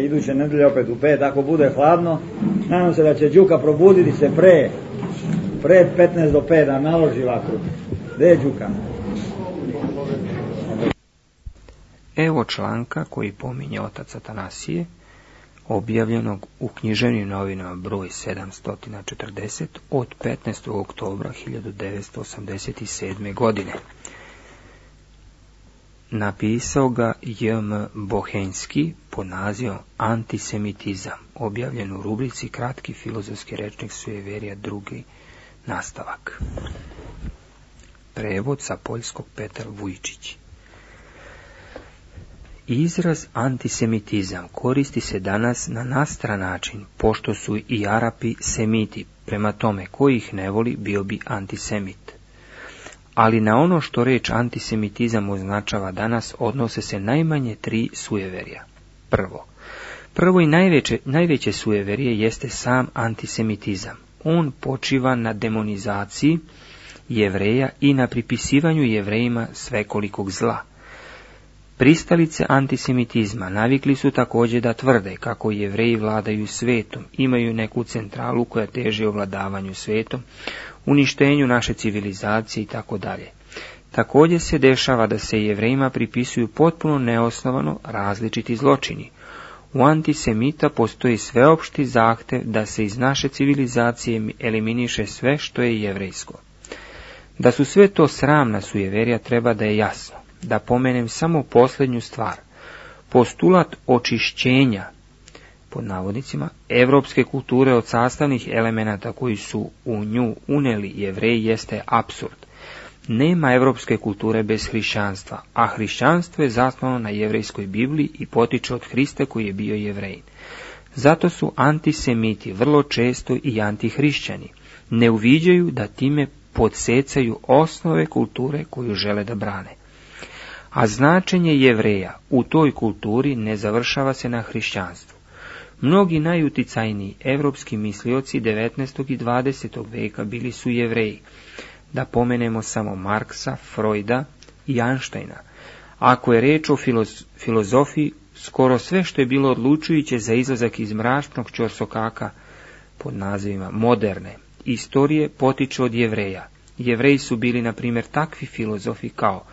Iduće nedelje opet u 5, ako bude hladno, nadam se da će Đuka probuditi se pre 15 do 5 da naloži vatru. Gde je Đuka? Evo članka koji pominje otac Atanasije, objavljenog u Književnim novinama broj 740 od 15. oktobra 1987. godine. Napisao ga J.M. Bohenski pod nazivom Antisemitizam, objavljen u rubrici Kratki filozofski rečnik sujeverija, drugi nastavak. Prevod sa poljskog Petar Vujčić. Izraz antisemitizam koristi se danas na nastran način, pošto su i Arapi semiti, prema tome ko ih ne voli bio bi antisemit. Ali na ono što reč antisemitizam označava danas odnose se najmanje 3 sujeverja. Prvo i najveće sujeverje jeste sam antisemitizam. On počiva na demonizaciji Jevreja i na pripisivanju Jevrejima svekolikog zla. Pristalice antisemitizma navikli su također da tvrde kako Jevreji vladaju svetom, imaju neku centralu koja teži ovladavanju svetom, uništenju naše civilizacije itd. Također se dešava da se Jevrejima pripisuju potpuno neosnovano različiti zločini. U antisemita postoji sveopšti zahtev da se iz naše civilizacije eliminiše sve što je jevrejsko. Da su sve to sramna sujeverja treba da je jasno. Da pomenem samo posljednju stvar. Postulat očišćenja, pod navodnicima, evropske kulture od sastavnih elemenata koji su u nju uneli Jevreji jeste apsurd. Nema evropske kulture bez hrišćanstva, a hrišćanstvo je zasnovano na jevrejskoj Bibliji i potiče od Hrista koji je bio Jevrejin. Zato su antisemiti vrlo često i antihrišćani. Ne uviđaju da time podsecaju osnove kulture koju žele da brane. A značenje Jevreja u toj kulturi ne završava se na hrišćanstvu. Mnogi najuticajniji evropski mislioci 19. i 20. veka bili su Jevreji. Da pomenemo samo Marksa, Freuda i Einsteina. Ako je reč o filozofiji, skoro sve što je bilo odlučujuće za izlazak iz mračnog ćorsokaka pod nazivima moderne istorije potiče od Jevreja. Jevreji su bili, na primjer, takvi filozofi kao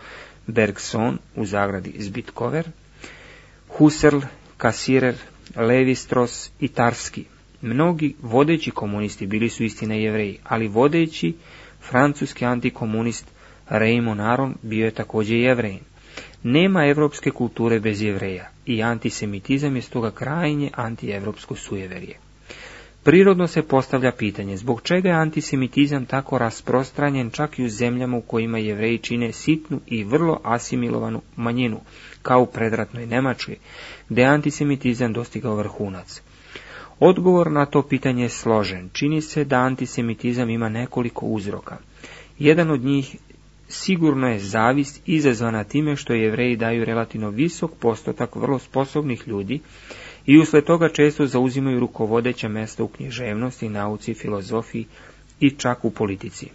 Bergson u zagradi Zbitkover, Husserl, Cassirer, Levi-Strauss i Tarski. Mnogi vodeći komunisti bili su istina Jevreji, ali vodeći francuski antikomunist Raymond Aron bio je također Jevrejin. Nema evropske kulture bez Jevreja i antisemitizam je stoga krajnje antievropsko sujeverje. Prirodno se postavlja pitanje zbog čega je antisemitizam tako rasprostranjen čak i u zemljama u kojima Jevreji čine sitnu i vrlo asimilovanu manjinu, kao u predratnoj Njemačkoj, gdje je antisemitizam dostigao vrhunac. Odgovor na to pitanje je složen. Čini se da antisemitizam ima nekoliko uzroka. Jedan od njih sigurno je zavist izazvana time što Jevreji daju relativno visok postotak vrlo sposobnih ljudi i usled toga često zauzimaju rukovodeća mjesta u književnosti, nauci, filozofiji i čak u politici.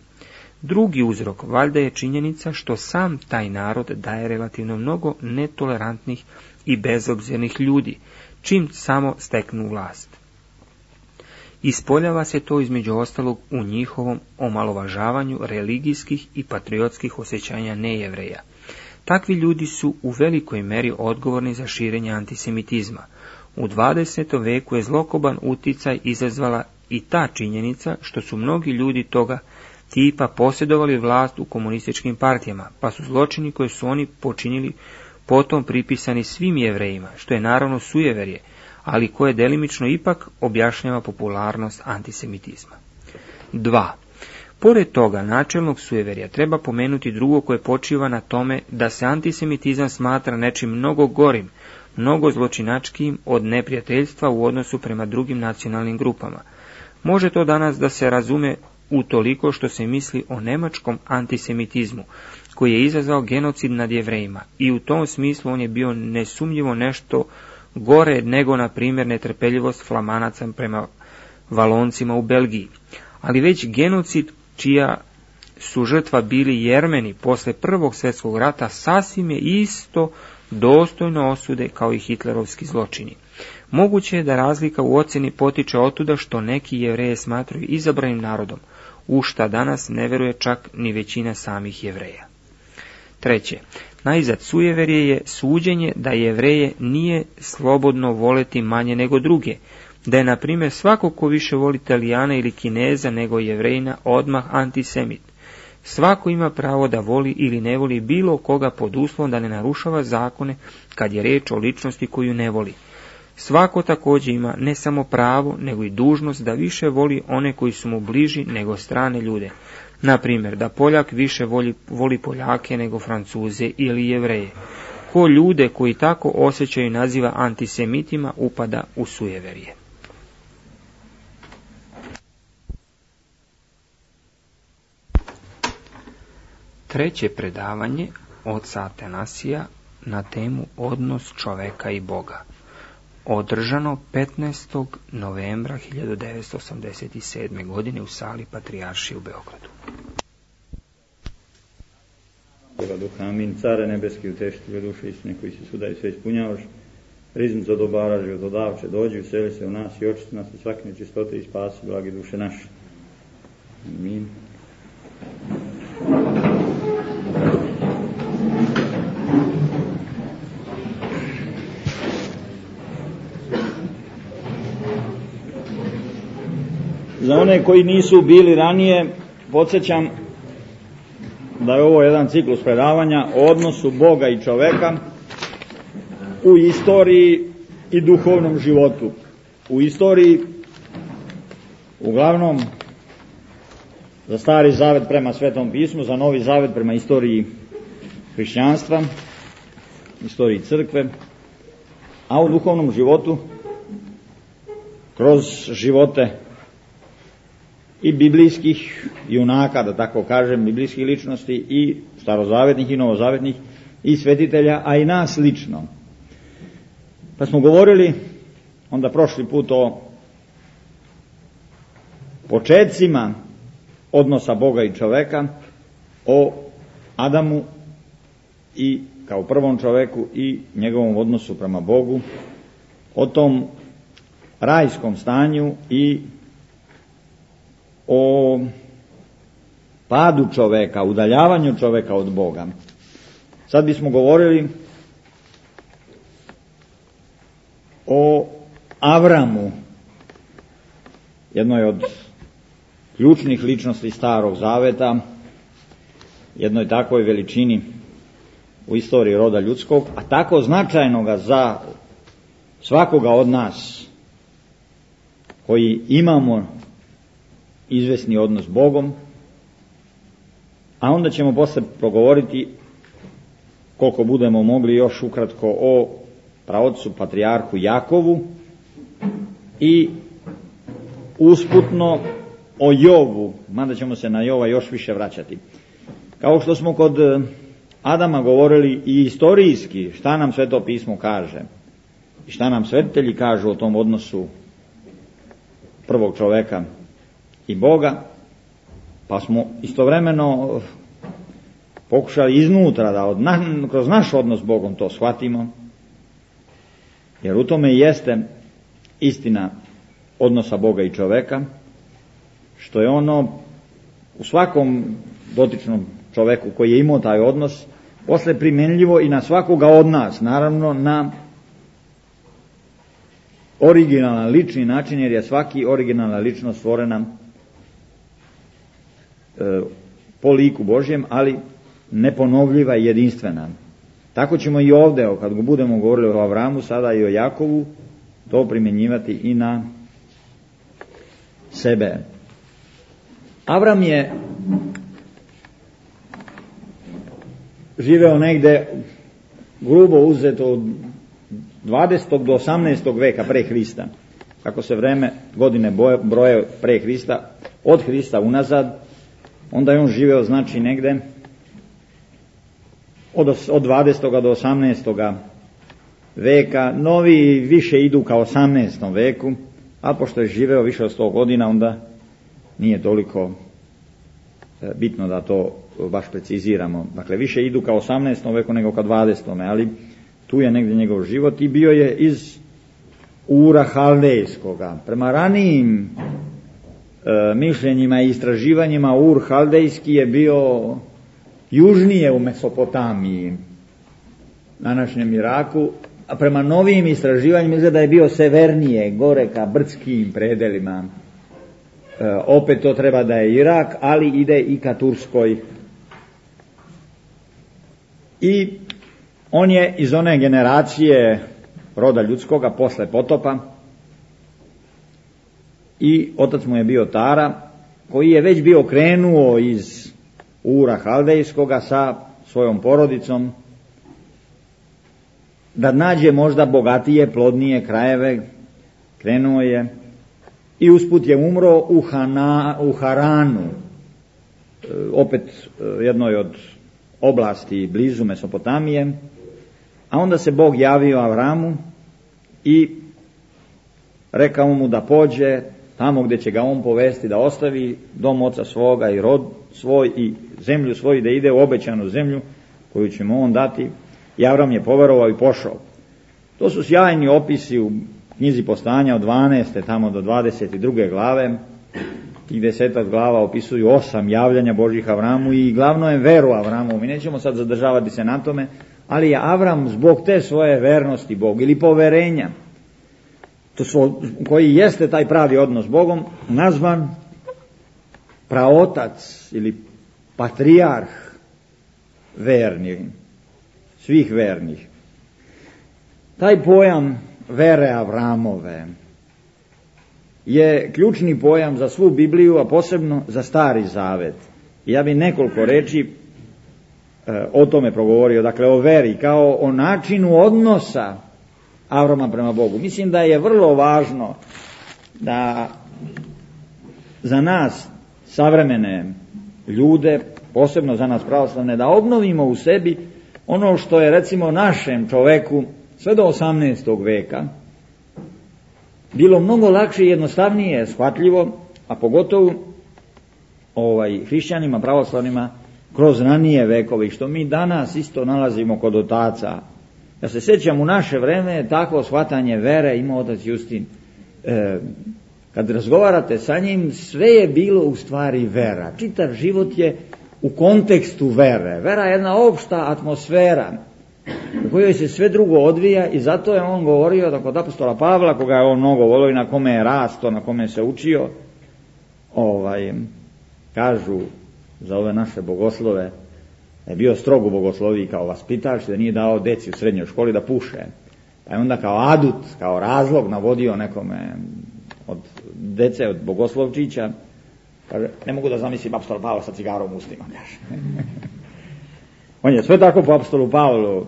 Drugi uzrok valjda je činjenica što sam taj narod daje relativno mnogo netolerantnih i bezobzirnih ljudi, čim samo steknu vlast. Ispoljava se to između ostalog u njihovom omalovažavanju religijskih i patriotskih osjećanja nejevreja. Takvi ljudi su u velikoj meri odgovorni za širenje antisemitizma. U 20. veku je zlokoban uticaj izazvala i ta činjenica što su mnogi ljudi toga tipa posjedovali vlast u komunističkim partijama, pa su zločini koje su oni počinili potom pripisani svim Jevrejima, što je naravno sujeverje, ali koje delimično ipak objašnjava popularnost antisemitizma. 2. Pored toga načelnog sujeverja treba pomenuti drugo koje počiva na tome da se antisemitizam smatra nečim mnogo gorim, mnogo zločinačkijim od neprijateljstva u odnosu prema drugim nacionalnim grupama. Može to danas da se razume utoliko što se misli o nemačkom antisemitizmu, koji je izazvao genocid nad Jevrejima i u tom smislu on je bio nesumnjivo nešto gore nego, na primjer, netrpeljivost Flamanaca prema Valoncima u Belgiji. Ali već genocid čija su žrtva bili Jermeni posle Prvog svjetskog rata sasvim je isto dostojno osude kao i hitlerovski zločini. Moguće je da razlika u ocjeni potiče otuda što neki Jevreje smatraju izabranim narodom, u šta danas ne veruje čak ni većina samih Jevreja. Treće, najzad sujeverje je suđenje da Jevreje nije slobodno voleti manje nego druge, da je, na primjer, svako ko više voli Italijana ili Kineza nego Jevrejina odmah antisemit. Svako ima pravo da voli ili ne voli bilo koga pod uslovom da ne narušava zakone kad je reč o ličnosti koju ne voli. Svako također ima ne samo pravo, nego i dužnost da više voli one koji su mu bliži nego strane ljude. Na primjer, da Poljak više voli Poljake nego Francuze ili Jevreje. Ko ljude koji tako osjećaju naziva antisemitima, upada u sujeverje. Treće predavanje oca Atanasija na temu odnos čoveka i Boga, održano 15. novembra 1987. godine u sali Patrijaršije u Beogradu. Duha, amin. Care nebeski, utešitelju duše istine koji se svuda i sve ispunjavaš, riznicu od obara, životodavče, dođi, useli se u nas i očisti nas od svake nečistote i spasi blagi duše naše. Amin. Za one koji nisu bili ranije, podsjećam da je ovo jedan ciklus predavanja o odnosu Boga i čoveka u istoriji i duhovnom životu. U istoriji, uglavnom, za Stari zavet prema Svetom pismu, za Novi zavet prema istoriji hrišćanstva, istoriji crkve, a u duhovnom životu kroz živote i biblijskih junaka, da tako kažem, biblijskih ličnosti i starozavetnih i novozavetnih i svetitelja, a i nas lično. Pa smo govorili onda prošli put o počecima odnosa Boga i čoveka, o Adamu i kao prvom čoveku i njegovom odnosu prema Bogu, o tom rajskom stanju i o padu čoveka, udaljavanju čoveka od Boga. Sad bismo govorili o Avramu, jednoj od ključnih ličnosti Starog zaveta, jednoj takvoj veličini u istoriji roda ljudskog, a tako značajnoga za svakoga od nas koji imamo izvesni odnos s Bogom, a onda ćemo posle progovoriti, koliko budemo mogli, još ukratko o praocu patrijarhu Jakovu i usputno o Jovu, mada ćemo se na Jova još više vraćati. Kao što smo kod Adama govorili i istorijski, šta nam Sveto pismo kaže i šta nam svetitelji kažu o tom odnosu prvog čoveka i Boga, pa smo istovremeno pokušali iznutra da kroz naš odnos s Bogom to shvatimo, jer u tome jeste istina odnosa Boga i čoveka, što je ono u svakom dotičnom čoveku koji je imao taj odnos posle primjenljivo i na svakoga od nas, naravno na originalan lični način, jer je svaki originalna ličnost stvorena po liku Božjem, ali neponovljiva i jedinstvena. Tako ćemo i ovdje, kad budemo govorili o Avramu, sada i o Jakovu, to primjenjivati i na sebe. Avram je živeo negde grubo uzeto od 20. do 18. veka pre Hrista. Kako se godine broje pre Hrista, od Hrista unazad, onda je on živeo znači negde od 20. do 18. veka. Novi više idu ka 18. veku, a pošto je živeo više od 100 godina, onda nije toliko bitno da to baš preciziramo. Dakle, više idu ka 18. veku nego ka 20. Ali tu je negdje njegov život i bio je iz Ura Haldejskoga. Prema ranijim mišljenjima i istraživanjima Ur Haldejski je bio južnije u Mesopotamiji, današnjem Iraku, a prema novim istraživanjima izgleda da je bio severnije, gore ka brdskim predelima. Opet to treba da je Irak, ali ide i ka Turskoj. I on je iz one generacije roda ljudskoga posle potopa i otac mu je bio Tara, koji je već bio krenuo iz Ura Haldejskoga sa svojom porodicom da nađe možda bogatije, plodnije krajeve. Krenuo je i usput je umro u Haranu, opet jednoj od oblasti blizu Mesopotamije, a onda se Bog javio Avramu i rekao mu da pođe tamo gdje će ga on povesti, da ostavi dom oca svoga i rod svoj i zemlju svoju, da ide u obećanu zemlju koju će mu on dati. I Avram je poverovao i pošao. To su sjajni opisi u knjizi Postanja od 12. tamo do 22. glave. Tih 10 glava opisuju 8 javljanja Božih Avramu i glavno je veru Avramu. Mi nećemo sad zadržavati se na tome, ali je Avram zbog te svoje vernosti Bogu ili poverenja, koji jeste taj pravi odnos s Bogom, nazvan praotac ili patrijarh vernih, svih vernih. Taj pojam vere Avramove je ključni pojam za svu Bibliju, a posebno za Stari Zavet. I ja bih nekoliko reči o tome progovorio, dakle o veri kao o načinu odnosa Avrama prema Bogu. Mislim da je vrlo važno da za nas savremene ljude, posebno za nas pravoslavne, da obnovimo u sebi ono što je recimo našem čoveku sve do 18. veka bilo mnogo lakše i jednostavnije shvatljivo, a pogotovo hrišćanima, pravoslavnima kroz ranije vekove, što mi danas isto nalazimo kod otaca. Ja se sjećam, u naše vreme takvo shvatanje vere imao otac Justin. Kad razgovarate sa njim, sve je bilo u stvari vera. Čitav život je u kontekstu vere. Vera je jedna opšta atmosfera u kojoj se sve drugo odvija i zato je on govorio da kod apostola Pavla, koga je on mnogo volio i na kome je rasto, na kome se učio, kažu za ove naše bogoslove da je bio strog u bogosloviji kao vaspitač, da nije dao deci u srednjoj školi da puše. Pa je onda kao adut, kao razlog navodio nekome od dece, od bogoslovčića, kaže, ne mogu da zamislim apostola Pavla sa cigarom u ustima, kaže. On je sve tako po apostolu Pavlu.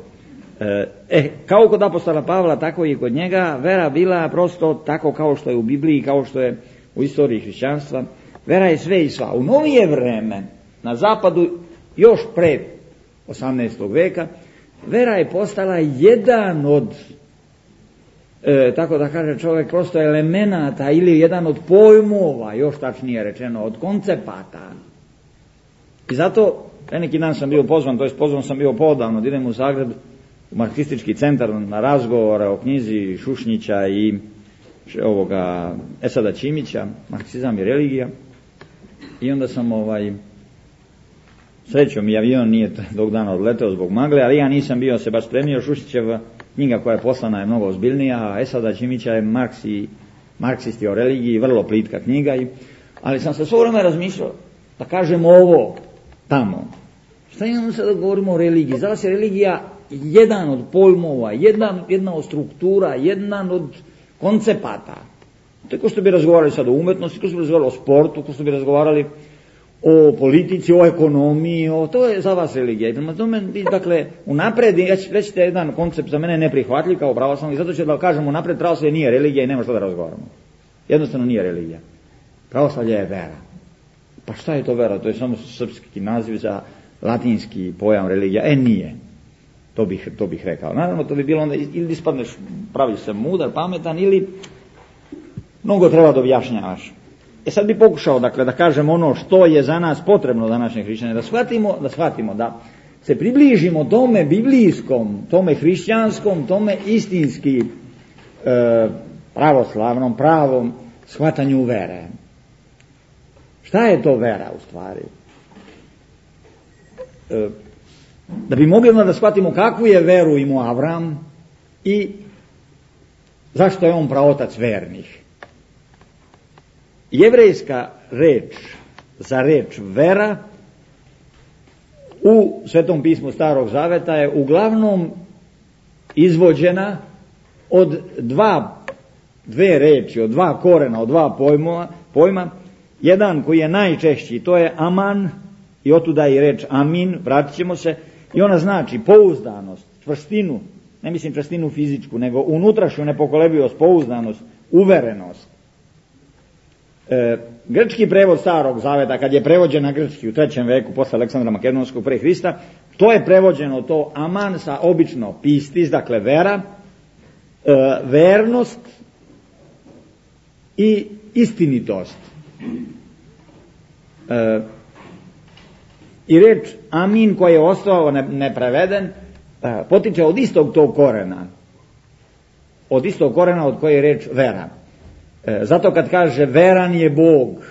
Kao kod apostola Pavla, tako i kod njega, vera bila prosto tako kao što je u Bibliji, kao što je u istoriji hrišćanstva. Vera je sve i sva. U novije vreme, na zapadu, još pred 18. veka, vera je postala jedan od, tako da kaže čovjek, prosto elemenata ili jedan od pojmova, još tačnije rečeno, od koncepata. I zato, neki dan sam bio pozvan, to jest pozvan sam bio podavno, da idem u Zagreb, u marksistički centar na razgovore o knjizi Šušnjića i ovoga Esada Čimića, Marksizam i religija. I onda sam srećom i avion nije tog dana odleteo zbog magle, ali ja nisam bio se baš spremio. Šušnjićeva knjiga koja je poslana je mnogo ozbiljnija, a Esada Čimića je marksisti o religiji, vrlo plitka knjiga. Ali sam se svo vreme razmišljao da kažem ovo tamo. Šta imamo sad da govorimo o religiji? Za vas je religija jedan od pojmova, jedna od struktura, jedan od koncepata. To je ko što bi razgovarali sad o umetnosti, ko što bi razgovarali o sportu, ko što bi razgovarali o politici, o ekonomiji, to je za vas religija. I prema tome, dakle, unapred, ja ću reći jedan koncept za mene neprihvatljiv kao pravoslavni, zato ću da kažem unapred, pravoslavlje nije religija i nema što da razgovaramo. Jednostavno nije religija. Pravoslavlje je vera. Pa šta je to vera? To je samo srpski naziv za latinski pojam religija. Nije. To bih rekao. Naravno, to bi bilo onda, ili ispadneš, praviš se mudar, pametan, ili mnogo treba da objašnjavaš. Sad bi pokušao, dakle, da kažem ono što je za nas potrebno današnje hrišćane, da shvatimo da se približimo tome biblijskom, tome hrišćanskom, tome istinski pravoslavnom, pravom shvatanju vere. Šta je to vera u stvari? Da bi mogli da shvatimo kakvu je veru imao Avram i zašto je on praotac vernih. Jevrejska reč za reč vera u Svetom pismu Starog Zaveta je uglavnom izvođena od dve reči, od dva korena, od dva pojma. Jedan koji je najčešći, to je aman, i otuda i reč amin, vratit ćemo se, i ona znači pouzdanost, čvrstinu, ne mislim čvrstinu fizičku, nego unutrašnju nepokolebljivost, pouzdanost, uverenost. Grčki prevod Starog Zaveta, kad je prevođen na grčki u 3. veku posle Aleksandra Makedonskog pre Hrista, to je prevođeno to aman sa obično pistis, dakle vera, vernost i istinitost. I reč amin koji je ostao nepreveden potiče od istog tog korena, od istog korena od koje je reč vera. Zato kad kaže veran je Bog,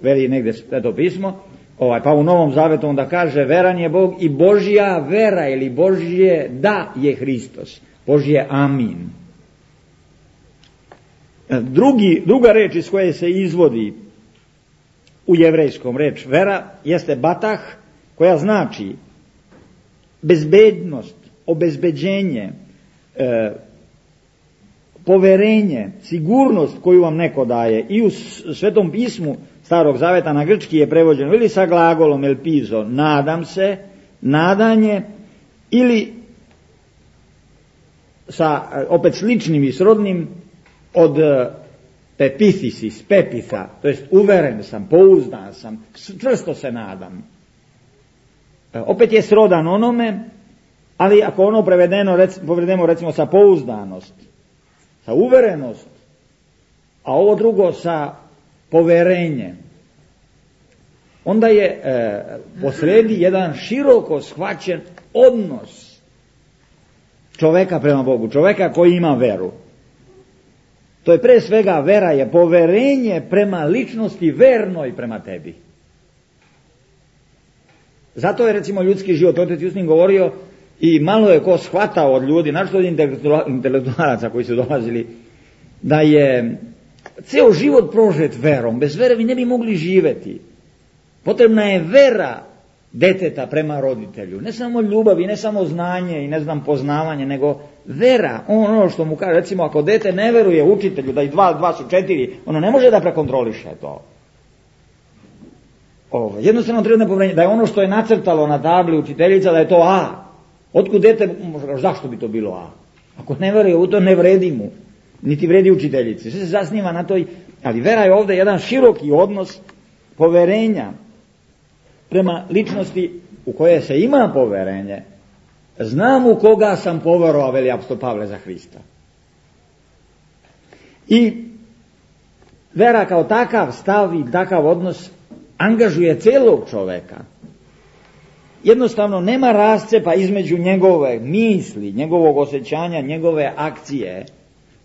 veli negdje Sveto pismo, pa u Novom Zavetu onda kaže veran je Bog i Božja vera ili Božje da je Hristos, Božje amin. Druga reč iz koje se izvodi u jevrejskom reč vera jeste batah, koja znači bezbednost, obezbeđenje, poverenje, sigurnost koju vam neko daje. I u Svetom pismu Starog Zaveta na grčki je prevođeno ili sa glagolom elpizo, nadam se, nadanje, ili sa opet sličnim i srodnim od pepithisis, pepitha, to jest uveren sam, pouzdan sam, čvrsto se nadam. Opet je srodan onome, ali ako ono prevedemo recimo sa pouzdanost, sa uverenost, a ovo drugo sa poverenje, onda je posredi jedan široko shvaćen odnos čoveka prema Bogu, čoveka koji ima veru. To je pre svega vera je poverenje prema ličnosti vernoj prema tebi. Zato je recimo ljudski život, otec Justin govorio, i malo je ko shvatao od ljudi, našto od intelektualaca koji su dolazili, da je ceo život prožet verom. Bez vere vi ne bi mogli živeti. Potrebna je vera deteta prema roditelju. Ne samo ljubav i ne samo znanje i poznavanje, nego vera. Ono što mu kaže, recimo ako dete ne veruje učitelju da i 2 su 4, ono ne može da prekontroliše to. Jednostavno treba poverenje da je ono što je nacrtalo na tabli učiteljica da je to A. Otkud dete, zašto bi to bilo A? Ako ne veruje u to, ne vredi mu, niti vredi učiteljici. Sve se zasniva na toj, ali vera je ovdje jedan široki odnos poverenja prema ličnosti u koje se ima poverenje. Znam u koga sam poverovao, veli apostol Pavle za Hrista. I vera kao takav stav i takav odnos angažuje celog čoveka. Jednostavno nema rascepa između njegove misli, njegovog osjećanja, njegove akcije.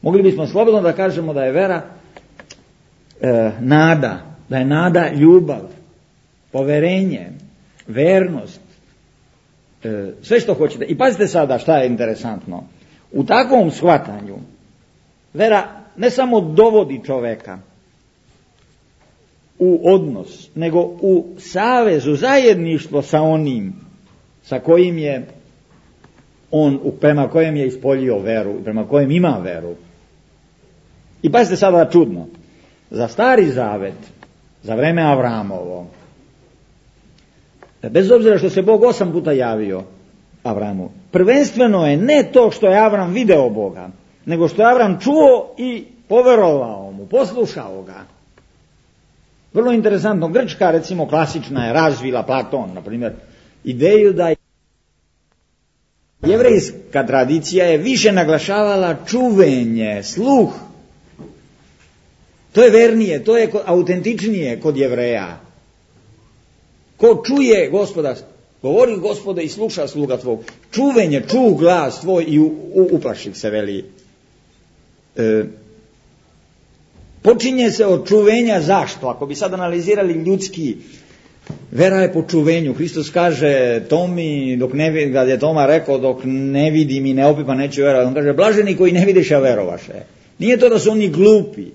Mogli bismo slobodno da kažemo da je vera nada, da je nada ljubav, poverenje, vernost, sve što hoćete. I pazite sada šta je interesantno. U takvom shvatanju vera ne samo dovodi čoveka u odnos, nego u savezu, zajedništvo sa onim sa kojim je on, prema kojem je ispoljio veru, prema kojem ima veru. I pazite sada čudno. Za Stari Zavet, za vreme Avramovo, bez obzira što se Bog 8 puta javio Avramu, prvenstveno je ne to što je Avram video Boga, nego što je Avram čuo i poverovao mu, poslušao ga. Vrlo interesantno, grčka recimo klasična je razvila, Platon na primjer, ideju da jevrejska tradicija je više naglašavala čuvenje, sluh. To je vernije, to je autentičnije kod Jevreja. Ko čuje Gospoda, Govori Gospode i sluša sluga tvog. Čuvenje, čuh glas tvoj i uplaših se, veli. Počinje se od čuvenja. Zašto? Ako bi sad analizirali ljudski, vera je po čuvenju. Hristos kaže Tomi, kad je Toma rekao, dok ne vidim i ne opipam neću verovati. On kaže, blaženi koji ne vidiš, a verovaše. Nije to da su oni glupi,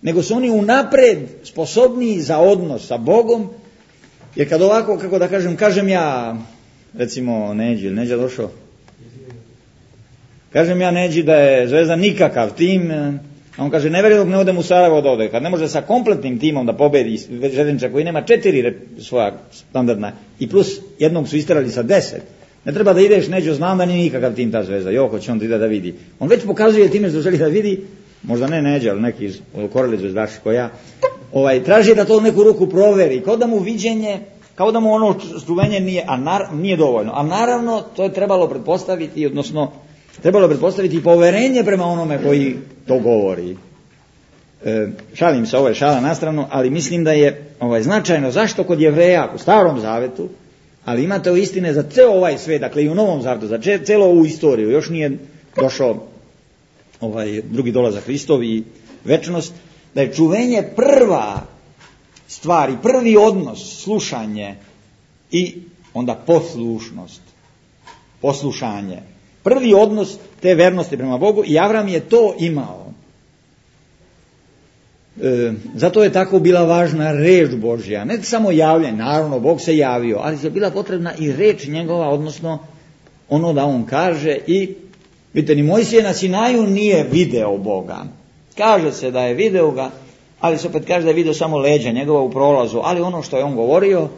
nego su oni unapred sposobniji za odnos sa Bogom, jer kad ovako, kako da kažem ja, recimo Neđa došao, kažem ja Neđi da je Zvezda nikakav tim, a on kaže, ne vjerujem dok ne odem u Sarajevo od ovdje. Kad ne može sa kompletnim timom da pobedi Željezničar koji nema 4 svoja standardna i plus jednog su isterali sa 10, ne treba da ideš, Neđo, znam da nije nikakav tim ta Zvezda, joko će on ide da vidi. On već pokazuje time što želi da vidi, možda ne Neđa, ali neki koreli zvezdaši koja, traži da to u neku ruku proveri, kao da mu viđenje, kao da mu ono čuvenje nije dovoljno. A naravno, to je trebalo pretpostaviti, odnosno trebalo pretpostaviti poverenje prema onome koji to govori. Šalim se, ovo je šala na stranu, ali mislim da je značajno. Zašto kod Jevreja u Starom Zavetu, ali imate o istine za ceo ovaj svijet, dakle i u Novom Zavetu, za celu ovu istoriju, još nije došao drugi dolazak Hristov i večnost, da je čuvenje prva stvar i prvi odnos, slušanje i onda poslušnost, poslušanje. Prvi odnos te vernosti prema Bogu i Avram je to imao. Zato je tako bila važna reč Božja, ne samo javljanje, naravno Bog se javio, ali je bila potrebna i reč njegova, odnosno ono da on kaže. I vidite, ni Mojsije na Sinaju nije video Boga. Kaže se da je video ga, ali se opet kaže da je video samo leđa njegova u prolazu, ali ono što je on govorio,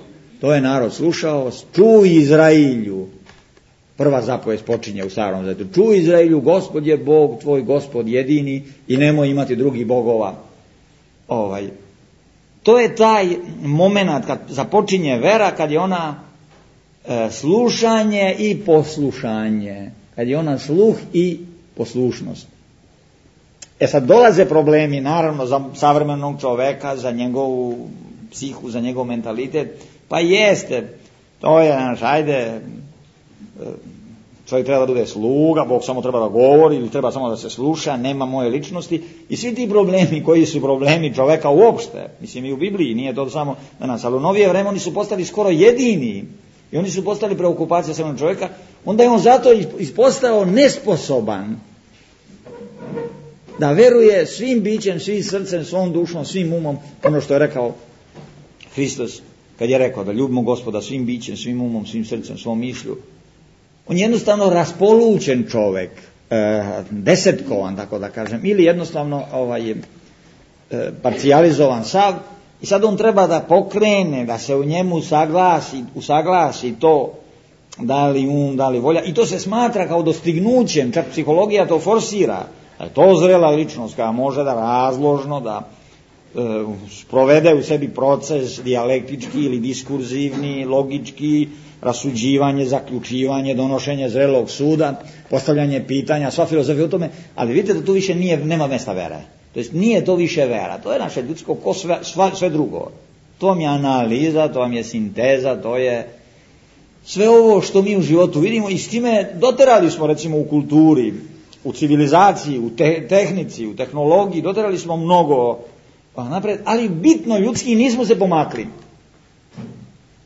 to je narod slušao. Čuj Izrailju, prva zapovijed počinje u Starom Zavetu. Čuj Izrailju, Gospod je Bog tvoj, Gospod jedini i nemoj imati drugih bogova. To je taj moment kad započinje vera, kad je ona slušanje i poslušanje, kad je ona sluh i poslušnost. Sad dolaze problemi, naravno, za savremenog čoveka, za njegovu psihu, za njegov mentalitet. Pa jeste, to je čovjek treba da bude sluga, Bog samo treba da govori ili treba samo da se sluša, nema moje ličnosti. I svi ti problemi koji su problemi čoveka uopšte, mislim i u Bibliji, nije to samo danas, ali u novije vreme oni su postali skoro jedini i oni su postali preokupacija samog čovjeka, onda je on zato ispostao nesposoban da veruje svim bićem, svim srcem, svom dušom, svim umom, ono što je rekao Hristos kad je rekao da ljubimo Gospoda svim bićem, svim umom, svim srcem, svom mišlju. On je jednostavno raspolućen čovjek, desetkovan, tako da kažem, ili jednostavno parcijalizovan sav, i sad on treba da pokrene, da se u njemu usaglasi to, da li um, da li volja, i to se smatra kao dostignućem, čak psihologija to forsira, da je to zrela ličnost koja može da razložno, da sprovede u sebi proces dijalektički ili diskurzivni, logički, rasuđivanje, zaključivanje, donošenje zrelog suda, postavljanje pitanja, sva filozofija u tome, ali vidite da tu više nema mjesta vere. To jest nije to više vera, to je naše ljudsko ko sve drugo. To vam je analiza, to vam je sinteza, to je sve ovo što mi u životu vidimo i s time doterali smo recimo u kulturi, u civilizaciji, u tehnici, u tehnologiji, doterali smo mnogo napred, ali bitno ljudski nismo se pomakli.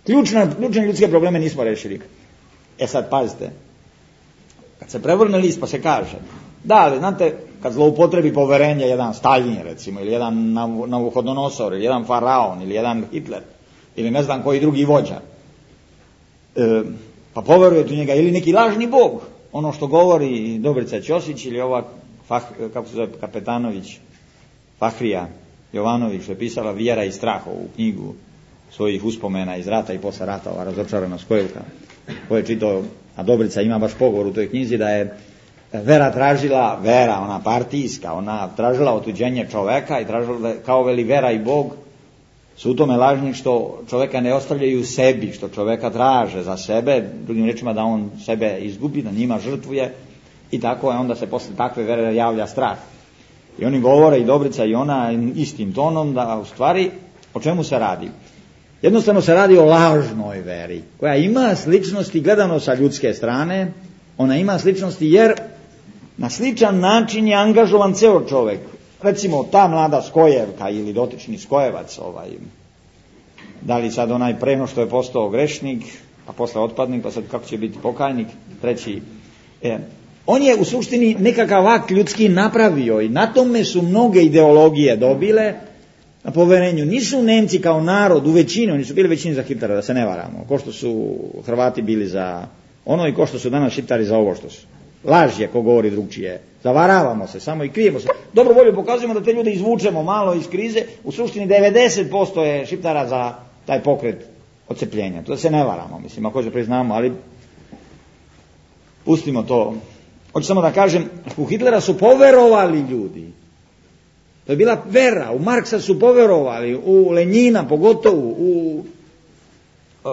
Ključne ljudske probleme nismo rešili. Sad pazite, kad se prevrne list pa se kaže, da, ali znate, kad zloupotrebi poverenje jedan Stalin recimo, ili jedan Navuhodonosor, ili jedan Faraon, ili jedan Hitler, ili ne znam koji drugi vođa, pa poverujete u njega, ili neki lažni bog, ono što govori Dobrica Ćosić, ili ova, kako se zove, Kapetanović, Fahrija Jovanović, što je pisala Vjera i strah, ovu knjigu svojih uspomena iz rata i posle rata, ova razočaranost Kojelka, ko je čitao, a Dobrica ima baš pogovor u toj knjizi da je vera tražila, ona partijska, ona tražila otuđenje čoveka i tražila da, kao veli vera i Bog su u tome lažni što čoveka ne ostavljaju u sebi, što čoveka traže za sebe, drugim rečima da on sebe izgubi, da njima žrtvuje i tako je, onda se posle takve vere javlja strah. I oni govore, i Dobrica i ona, istim tonom, da u stvari o čemu se radi. Jednostavno se radi o lažnoj veri, koja ima sličnosti gledano sa ljudske strane, ona ima sličnosti jer na sličan način je angažovan ceo čovjek. Recimo ta mlada Skojevka ili dotični Skojevac, da li sad onaj preno što je postao grešnik, a posle otpadnik, pa sad kako će biti pokajnik, treći. On je u suštini nekakav akt ljudski napravio i na tome su mnoge ideologije dobile na poverenju. Nisu Nemci kao narod u većini, oni su bili većini za Hitlera, da se ne varamo, ko što su Hrvati bili za ono i ko što su danas Šiptari za ovo što su. Laž je ko govori drugčije. Zavaravamo se, samo i krijemo se. Dobro volju pokazujemo da te ljude izvučemo malo iz krize. U suštini 90% je Šiptara za taj pokret odcepljenja. To da se ne varamo, mislim, ako se priznamo, ali pustimo to. Hoću samo da kažem, u Hitlera su poverovali ljudi. To je bila vera. U Marksa su poverovali, u Lenjina pogotovo, u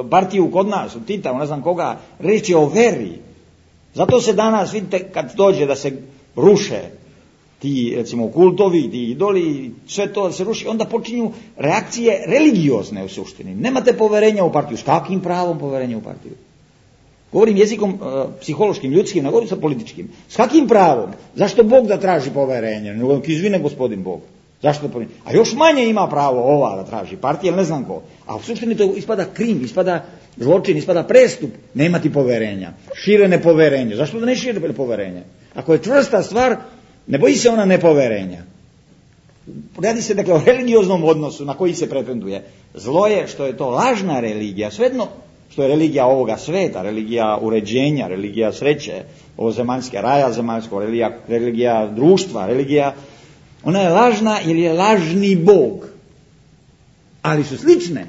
partiju kod nas, u Tita, u ne znam koga. Reč je o veri. Zato se danas, vidite, kad dođe da se ruše ti, recimo, kultovi, ti idoli, sve to da se ruši, onda počinju reakcije religiozne u suštini. Nemate poverenja u partiju. S kakvim pravom poverenja u partiju? Govorim jezikom psihološkim, ljudskim, ne govorim sa političkim. S kakvim pravom? Zašto Bog da traži poverenje? Nego izvine gospodin Bog. Zašto da poverenje? A još manje ima pravo ova da traži partija, ne znam ko. A u suštini to ispada krim, ispada zločin, ispada prestup, nemati poverenja. Šire nepoverenje. Zašto da ne šire poverenje? Ako je čvrsta stvar, ne boji se ona nepoverenja. Radi se dakle o religioznom odnosu na koji se pretenduje. Zlo je što je to lažna religija, svejedno što je religija ovoga sveta, religija uređenja, religija sreće, ovozemaljske, raja zemaljskog, religija društva, religija, ona je lažna jer je lažni Bog. Ali su slične.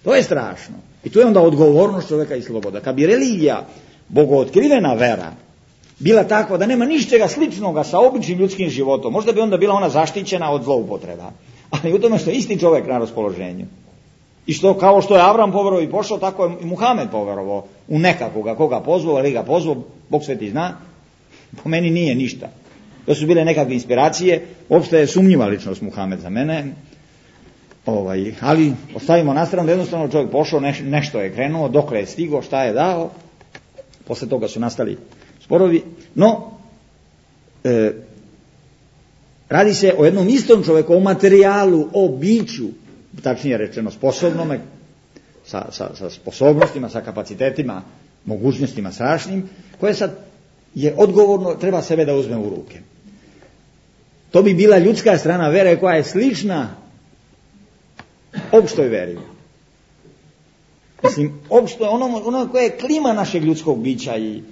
To je strašno. I to je onda odgovornost čovjeka i sloboda. Kad bi religija, bogootkrivena vera, bila takva da nema ničega sličnoga sa običnim ljudskim životom, možda bi onda bila ona zaštićena od zloupotreba. Ali u tome što je isti čovjek na raspoloženju. I što, kao što je Avram poverovao i pošao, tako je i Muhamed poverovao u nekakvoga, koga pozvao, ali ga pozvao, Bog sveti zna, po meni nije ništa. To su bile nekakve inspiracije, uopšte je sumnjiva ličnost Muhamed za mene, ali ostavimo na stranu da jednostavno čovjek pošao, nešto je krenuo, dokle je stigao, šta je dao, posle toga su nastali sporovi, no, radi se o jednom istom čovjeku, o materijalu, o biću, tačnije rečeno sposobnome, sa sposobnostima, sa kapacitetima, mogućnostima strašnim, koje sad je odgovorno, treba sebe da uzme u ruke. To bi bila ljudska strana vere koja je slična opštoj veri. Mislim, opšto, ono koje je klima našeg ljudskog bića i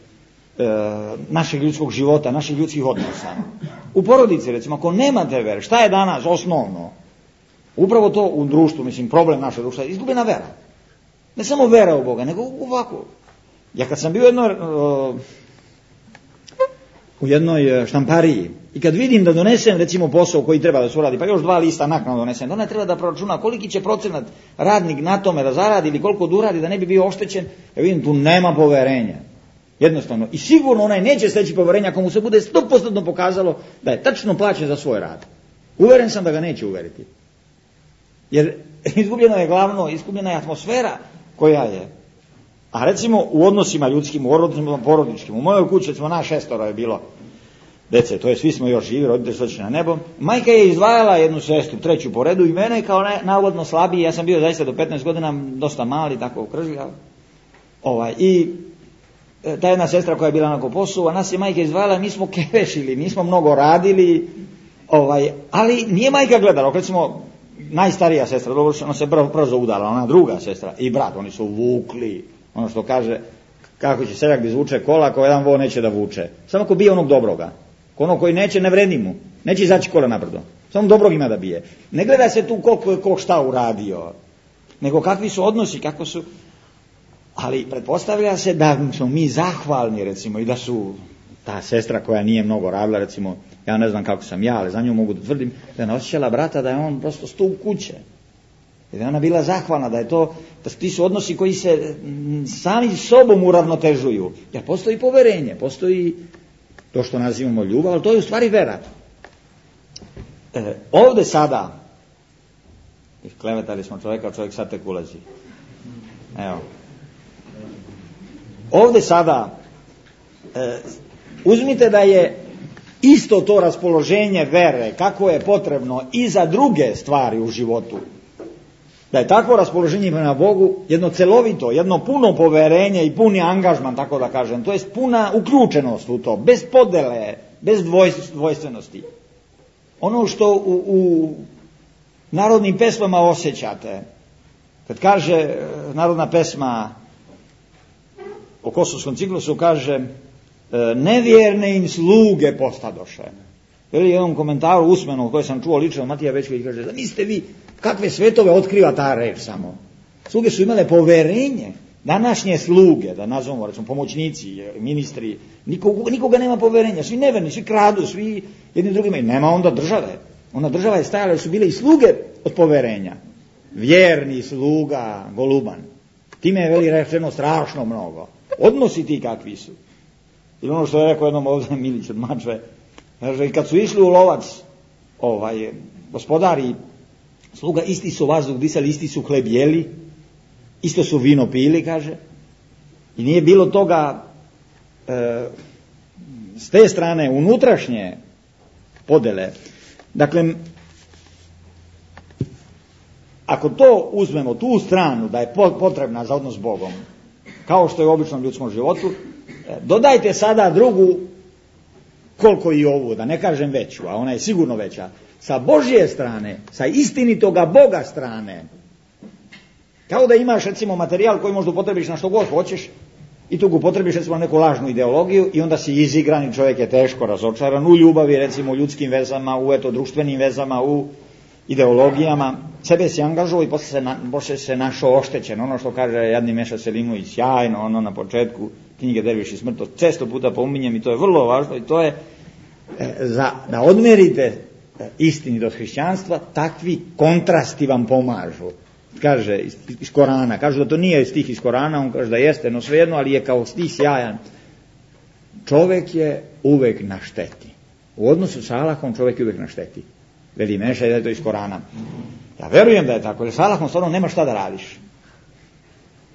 našeg ljudskog života, naših ljudskih odnosa. U porodici, recimo, ako nemate vere, šta je danas osnovno? Upravo to u društvu, mislim, problem našeg društva je izgubljena vera. Ne samo vera u Boga, nego ovako. Ja kad sam bio u jednoj štampariji i kad vidim da donesem, recimo, posao koji treba da se uradi, pa još 2 lista naknadno donesem, da ona treba da proračuna koliki će procenat radnik na tome da zaradi ili koliko da uradi da ne bi bio oštećen, ja vidim tu nema poverenja. Jednostavno. I sigurno onaj neće steći poverenja ako mu se bude 100% pokazalo da je tačno plaćen za svoj rad. Uveren sam da ga neće uveriti. Jer izgubljeno je glavno, izgubljena je atmosfera koja je. A recimo u odnosima ljudskim, u odnosima porodičkim, u mojoj kući, recimo nas 6 je bilo dece, to je svi smo još živi, roditelji su otišli na nebo. Majka je izdvajala jednu sestru, 3. po redu i mene kao navodno slabiji, ja sam bio zaista do 15 godina dosta mali, tako ukržljav. I ta jedna sestra koja je bila na poslu, a nas je majka izdvajala, mi smo kevešili, nismo mnogo radili, ali nije majka gledala, recimo najstarija sestra, ona se brzo udala, ona druga sestra i brat, oni su vukli, ono što kaže, kako će seljak da izvuče kola, ako jedan vo neće da vuče. Samo ako bije onog dobroga. Ono koji neće, ne vredi mu. Neće izaći kola nabrdo. Samo dobrog ima da bije. Ne gleda se tu koliko je ko šta uradio, nego kakvi su odnosi, kako su. Ali pretpostavlja se da smo mi zahvalni, recimo, i da su ta sestra koja nije mnogo radila, recimo, ja ne znam kako sam ja, ali za nju mogu da tvrdim, da je osjećala brata da je on prosto stup kuće. I da je ona bila zahvalna, da je to, da ti su odnosi koji se sami sobom uravnotežuju. Jer postoji poverenje, postoji to što nazivamo ljubav, ali to je u stvari vera. Ovde sada I klevetali smo čovjeka, čovjek sad tek ulazi. Evo. Ovdje sada uzmite da je isto to raspoloženje vere, kako je potrebno i za druge stvari u životu. Da je takvo raspoloženje prema Bogu jedno celovito, jedno puno poverenje i puni angažman, tako da kažem. To je puna uključenost u to, bez podele, bez dvojstvenosti. Ono što u narodnim pesmama osjećate, kad kaže narodna pesma o Kosovskom ciklusu, kaže nevjerne im sluge postadoše. Veli jednom komentaru usmenom koji sam čuo lično od Matija Bečković, kaže, zamislite vi kakve svetove otkriva ta reč samo. Sluge su imale poverenje. Današnje sluge, da nazovemo, recimo pomoćnici, ministri, nikoga nema poverenja, svi neverni, svi kradu, svi jedni drugima, i nema onda države. Onda država je stajala, jer su bile i sluge od poverenja. Vjerni sluga, goluban. Time je veli rečeno strašno mnogo. Odnosi ti kakvi su. Ili ono što je rekao jednom ovdje Milić od Mačve, kaže, kad su išli u lovac, gospodari sluga, isti su vazduh disali, isti su hleb jeli, isto su vino pili, kaže, i nije bilo toga s te strane unutrašnje podele. Dakle, ako to uzmemo, tu stranu da je potrebna za odnos s Bogom, kao što je u običnom ljudskom životu, dodajte sada drugu, koliko i ovu, da ne kažem veću, a ona je sigurno veća, sa Božje strane, sa istinitoga Boga strane. Kao da imaš, recimo, materijal koji možda upotrebiš na što god hoćeš i tu upotrebiš, recimo, neku lažnu ideologiju i onda si izigran i čovjek je teško razočaran u ljubavi, recimo, u ljudskim vezama, u društvenim vezama, u ideologijama. Sebe si angažovao i poslije se našao oštećen. Ono što kaže Jadni Meša Selimović, sjajno, ono na početku knjige Derviš i smrt, to često puta pominjem i to je vrlo važno i to je da odmerite istinitost hrišćanstva, takvi kontrasti vam pomažu. Kaže iz Korana, kažu da to nije stih iz Korana, on kaže da jeste, no svejedno, ali je kao stih sjajan. Čovjek je uvek na šteti. U odnosu sa Allahom čovjek je uvek na šteti. Veli Meša da je to iz Korana. Ja verujem da je tako, jer sa Allahom stvarno nema šta da radiš.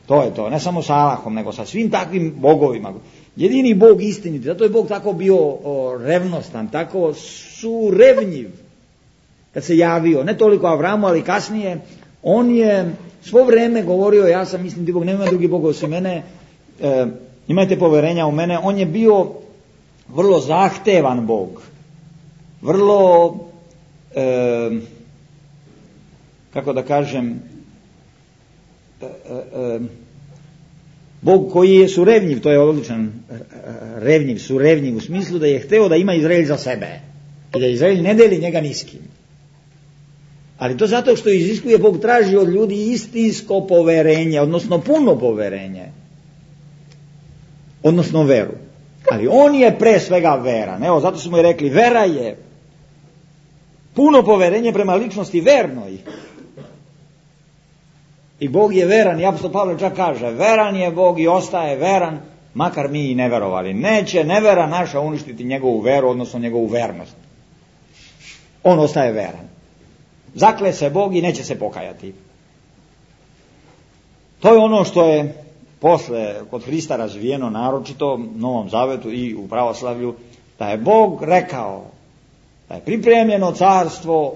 To je to, ne samo sa Allahom, nego sa svim takvim bogovima. Jedini Bog istiniti, zato je Bog tako bio revnostan, tako surevnjiv kad se javio, ne toliko Avramu, ali kasnije, on je svo vrijeme govorio, ja sam istiniti Bog, nema drugi Bog osim mene, imajte poverenja u mene. On je bio vrlo zahtevan Bog, vrlo, kako da kažem, Bog koji je surevnjiv, to je odličan surevnjiv u smislu da je hteo da ima Izrael za sebe i da Izrael ne deli njega niskim. Ali to zato što iziskuje, Bog traži od ljudi istinsko poverenje, odnosno puno poverenje, odnosno veru. Ali on je pre svega veran. Evo, zato smo i rekli, vera je puno poverenje prema ličnosti vernoj. I Bog je veran, i apostol Pavle čak kaže, veran je Bog i ostaje veran, makar mi i ne verovali. Neće nevera naša uništiti njegovu veru, odnosno njegovu vernost. On ostaje veran. Zakle se Bog i neće se pokajati. To je ono što je posle kod Hrista razvijeno, naročito u Novom Zavetu i u pravoslavlju, da je Bog rekao da je pripremljeno carstvo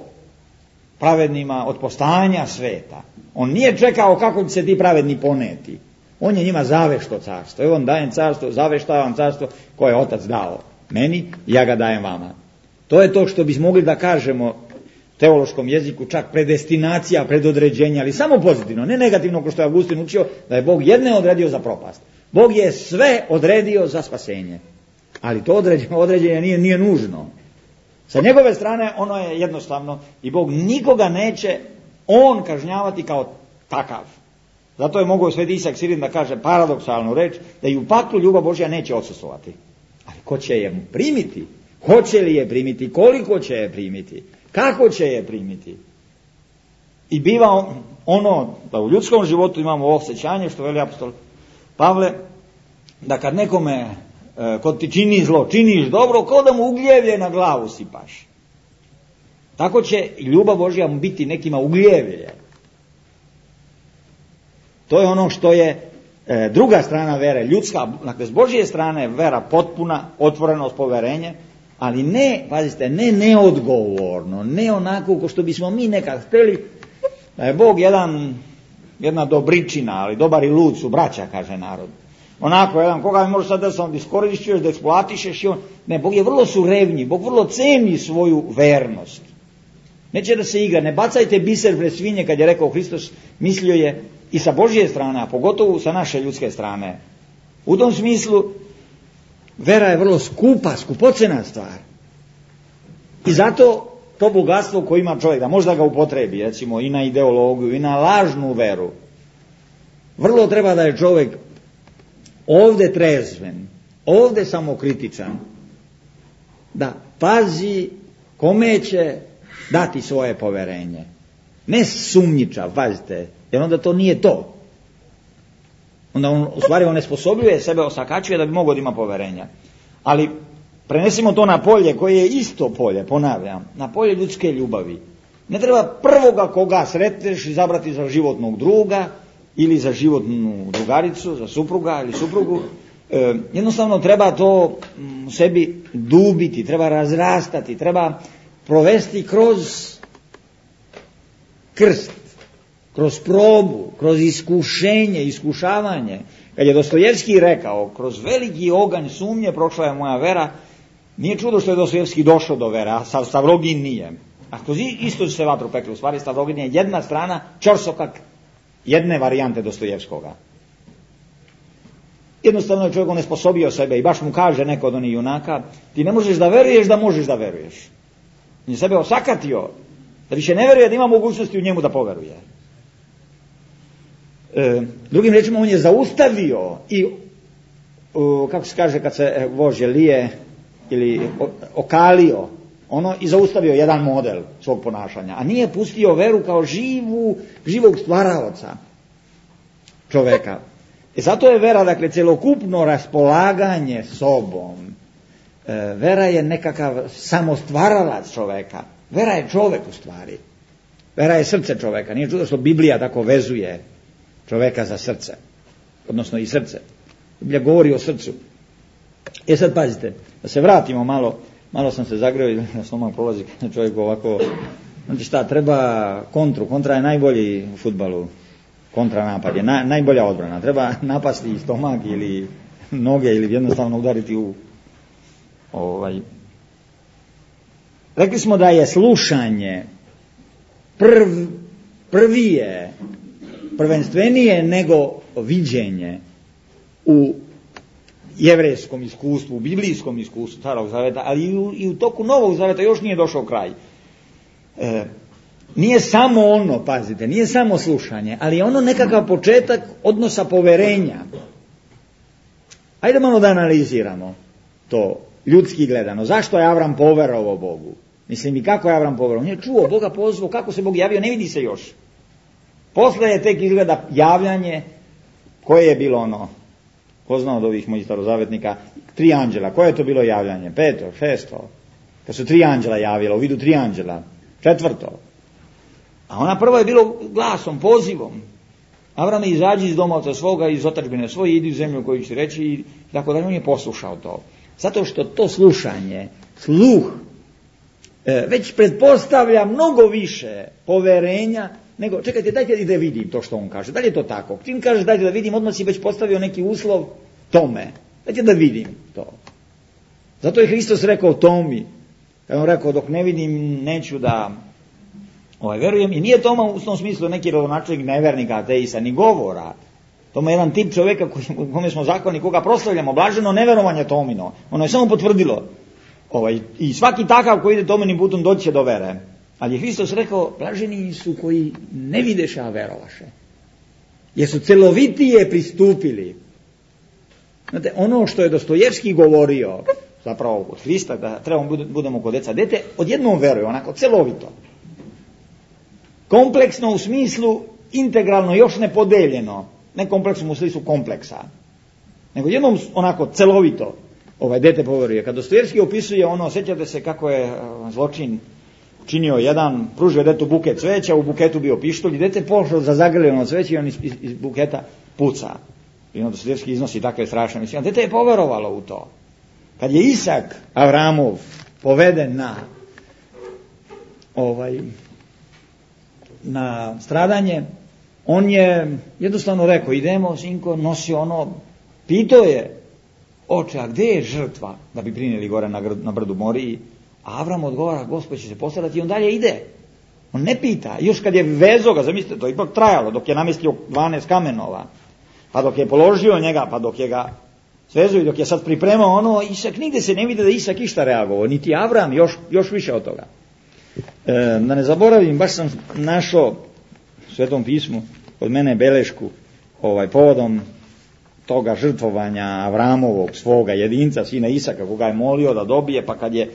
pravednima od postajanja sveta. On nije čekao kako će se ti pravedni poneti. On je njima zavešto carstvo. Evo on dajem carstvo, zaveštavam carstvo koje je Otac dao meni, ja ga dajem vama. To je to što bismo mogli da kažemo teološkom jeziku, čak predestinacija, predodređenja, ali samo pozitivno, ne negativno, kao što je Augustin učio, da je Bog jedne odredio za propast. Bog je sve odredio za spasenje. Ali to određenje nije nužno. Sa njegove strane ono je jednostavno i Bog nikoga neće on kažnjavati kao takav. Zato je mogao Sveti Isak Sirin da kaže paradoksalnu reč, da i u paklu ljubav Božja neće odsustvovati. Ali ko će je primiti? Hoće li je primiti? Koliko će je primiti? Kako će je primiti? I biva ono da u ljudskom životu imamo osjećanje, što veli apostol Pavle, da kad nekome ko ti čini zlo, činiš dobro, kao da mu ugljevlje na glavu sipaš. Tako će i ljubav Božja biti nekima ugljevlje. To je ono što je druga strana vere, ljudska, dakle s Božje strane vera potpuna, otvorenost, poverenje, ali ne, pazite, ne neodgovorno, ne onako ko što bismo mi nekad htjeli, da je Bog jedna dobričina, ali dobar i lud su braća, kaže narod. Onako, jedan, koga mi može sad da sam iskoristiš, da eksploatišeš i on. Ne, Bog je vrlo surevnji, Bog vrlo ceni svoju vernost. Neće da se igra, ne bacajte biser pred svinje, kad je rekao Hristos, mislio je i sa Božje strane, a pogotovo sa naše ljudske strane. U tom smislu, vera je vrlo skupa, skupocena stvar. I zato to bogatstvo koje ima čovjek, da možda ga upotrebi, recimo, i na ideologiju, i na lažnu veru, vrlo treba da je čovjek ovdje trezven, ovdje samokritičan, da pazi kome će dati svoje poverenje. Ne sumnjičav, pazite, jer onda to nije to. Onda on, u stvari, onesposobljuje sebe, osakačuje da bi mogao da ima poverenja. Ali prenesimo to na polje koje je isto polje, ponavljam, na polje ljudske ljubavi. Ne treba prvoga koga sretneš izabrati za životnog druga ili za životnu drugaricu, za supruga ili suprugu. Jednostavno treba to sebi dubiti, treba razrastati, treba provesti kroz krst, kroz probu, kroz iskušenje, iskušavanje. Kad je Dostojevski rekao, kroz veliki oganj sumnje prošla je moja vera, nije čudo što je Dostojevski došao do vere, a Stavrogin nije. A kroz isto se vatru pekli, u stvari Stavrogin je jedna strana čorsokak jedne varijante Dostojevskoga. Jednostavno je čovjek onesposobio sebe i baš mu kaže neko od onih junaka, ti ne možeš da veruješ da možeš da veruješ. On je sebe osakatio, da više ne veruje da ima mogućnosti u njemu da poveruje. Drugim rečima, on je zaustavio i, kako se kaže kad se vožđe lije ili okalio, ono i zaustavio jedan model svog ponašanja, a nije pustio veru kao živog stvaraoca čoveka. I zato je vera, dakle, celokupno raspolaganje sobom. Vera je nekakav samostvaralac čoveka. Vera je čovek u stvari. Vera je srce čoveka. Nije čudo što Biblija tako vezuje čoveka za srce. Odnosno i srce. Biblija govori o srcu. Sad pazite, da se vratimo malo sam se zagreo i da sam malo prolazi čovjek ovako. Znači šta, treba kontru. Kontra je najbolji u fudbalu. Kontranapad je najbolja odbrana. Treba napasti stomak ili noge ili jednostavno udariti u Rekli smo da je slušanje prvenstvenije nego viđenje u jevrejskom iskustvu, u biblijskom iskustvu Starog zaveta, ali i u toku Novog zaveta još nije došao kraj. Nije samo ono, pazite, nije samo slušanje, ali je ono nekakav početak odnosa poverenja. Ajde malo da analiziramo to ljudski gledano. Zašto je Avram poverovao Bogu? Mislim, i kako je Avram poverovao? On je čuo Boga, pozvao, kako se Bog javio, ne vidi se još. Posle je tek izgleda javljanje koje je bilo ono, ko zna od ovih mojih starozavetnika, 3 anđela. Koje je to bilo javljanje? 5, 6. Kad su 3 anđela javila, u vidu 3 anđela. 4. A ona prva je bilo glasom, pozivom. Avrame, izađi iz domovca svoga, iz otadžbine svoje, idi u zemlju koju ću reći i tako da on je poslušao to. Zato što to slušanje, sluh, već pretpostavlja mnogo više poverenja nego, čekajte, dajte da vidim to što on kaže. Da li je to tako? Čim kažeš dajte da vidim, odmah si već postavio neki uslov tome. Dajte da vidim to. Zato je Hristos rekao Tomi, kad on rekao dok ne vidim neću da verujem. I nije Toma u tom smislu neki rodonačelnik nevernika, ateista, ni govora. Toma je jedan tip čovjeka kome smo zahvalni, koga proslavljamo, blaženo neverovanje Tomino. Ono je samo potvrdilo. I svaki takav koji ide Tominim putom doći će do vere. Ali je Hristos rekao, blaženi su koji ne videše, a verovaše. Jer su celovitije pristupili. Znate, ono što je Dostojevski govorio, zapravo od Hrista, da trebamo budemo kod deca dete, odjednom veruje, onako celovito. Kompleksno u smislu integralno, još ne podeljeno. Ne kompleksno u smislu kompleksa. Nego jednom onako celovito dete poveruje. Kad Dostojevski opisuje ono, sjećate se kako je zločin činio jedan, pružio detetu buket cveća, u buketu bio pištolj i dete pošlo za zagrljeno cveće i on iz buketa puca. I onda Dostojevski iznosi takve strašne misli. Dete je poverovalo u to. Kad je Isak Avramov poveden na stradanje, on je jednostavno rekao, idemo, sinko, nosio pitao je, oče, a gdje je žrtva da bi prinijeli gore na brdu Moriji? A Avram odgovara, Gospod će se postarati i on dalje ide. On ne pita. Još kad je vezo ga, zamislite, to je ipak trajalo, dok je namestio 12 kamenova, pa dok je položio njega, pa dok je ga svezu i dok je sad pripremao Isak, nigde se ne vidi da Isak išta reagovao, niti Avram, još više od toga. Da ne zaboravim, baš sam našao u Svetom pismu kod mene belešku povodom toga žrtvovanja Avramovog, svoga jedinca, sina Isaka, koga je molio da dobije, pa kad je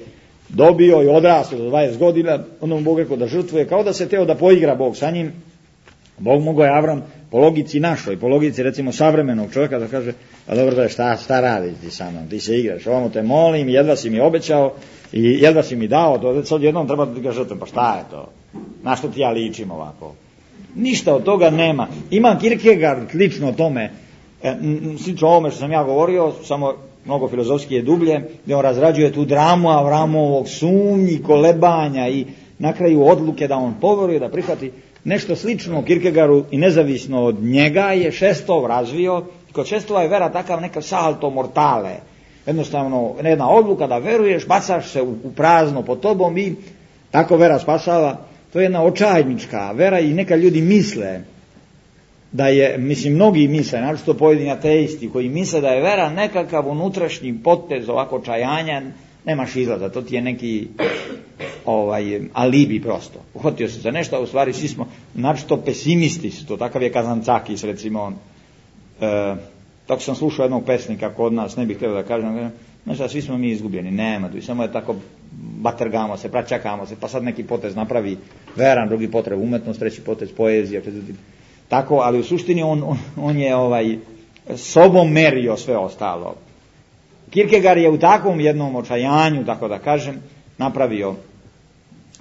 dobio i odrastao do 20 godina, onda mu Bog rekao da žrtvuje, kao da se teo da poigra Bog sa njim. Bog mogao je Avram po logici našoj, po logici recimo savremenog čovjeka da kaže, a dobro da šta radiš ti sa mnom, ti se igraš, ovamo te molim, jedva si mi obećao i jedva si mi dao, to sad jednom treba da ga žrtvujem, pa šta je to, na što ti ja ličim ovako. Ništa od toga nema. Ima Kierkegaard lično o tome, slično ovome što sam ja govorio, samo mnogo filozofski je dublje, gdje on razrađuje tu dramu Avramovog sumnji, kolebanja i na kraju odluke da on poveruje, da prihvati. Nešto slično Kierkegaardu i nezavisno od njega je Šestov razvio. Kod Šestova je vera takav neka salto mortale. Jednostavno, jedna odluka da veruješ, bacaš se u prazno pod tobom i tako vera spasava. To je jedna očajnička vera i neka ljudi misle da je, mnogi misle, naročito pojedini ateisti koji misle da je vera nekakav unutrašnji potez ovako čajanja, nemaš izlaza, to ti je neki alibi prosto. Uhvatio se za nešto, a u stvari svi smo naročito pesimisti su to, takav je Kazancakis recimo. Tako sam slušao jednog pesnika kod nas, ne bih htio da kažem, znači svi smo mi izgubljeni, nema tu, samo je tako batergamo se, pračakamo se, pa sad neki potez napravi veran, drugi potez umetnost, treći potez poezija, četvrti. Tako, ali u suštini on je sobom merio sve ostalo. Kierkegaard je u takvom jednom očajanju, tako da kažem, napravio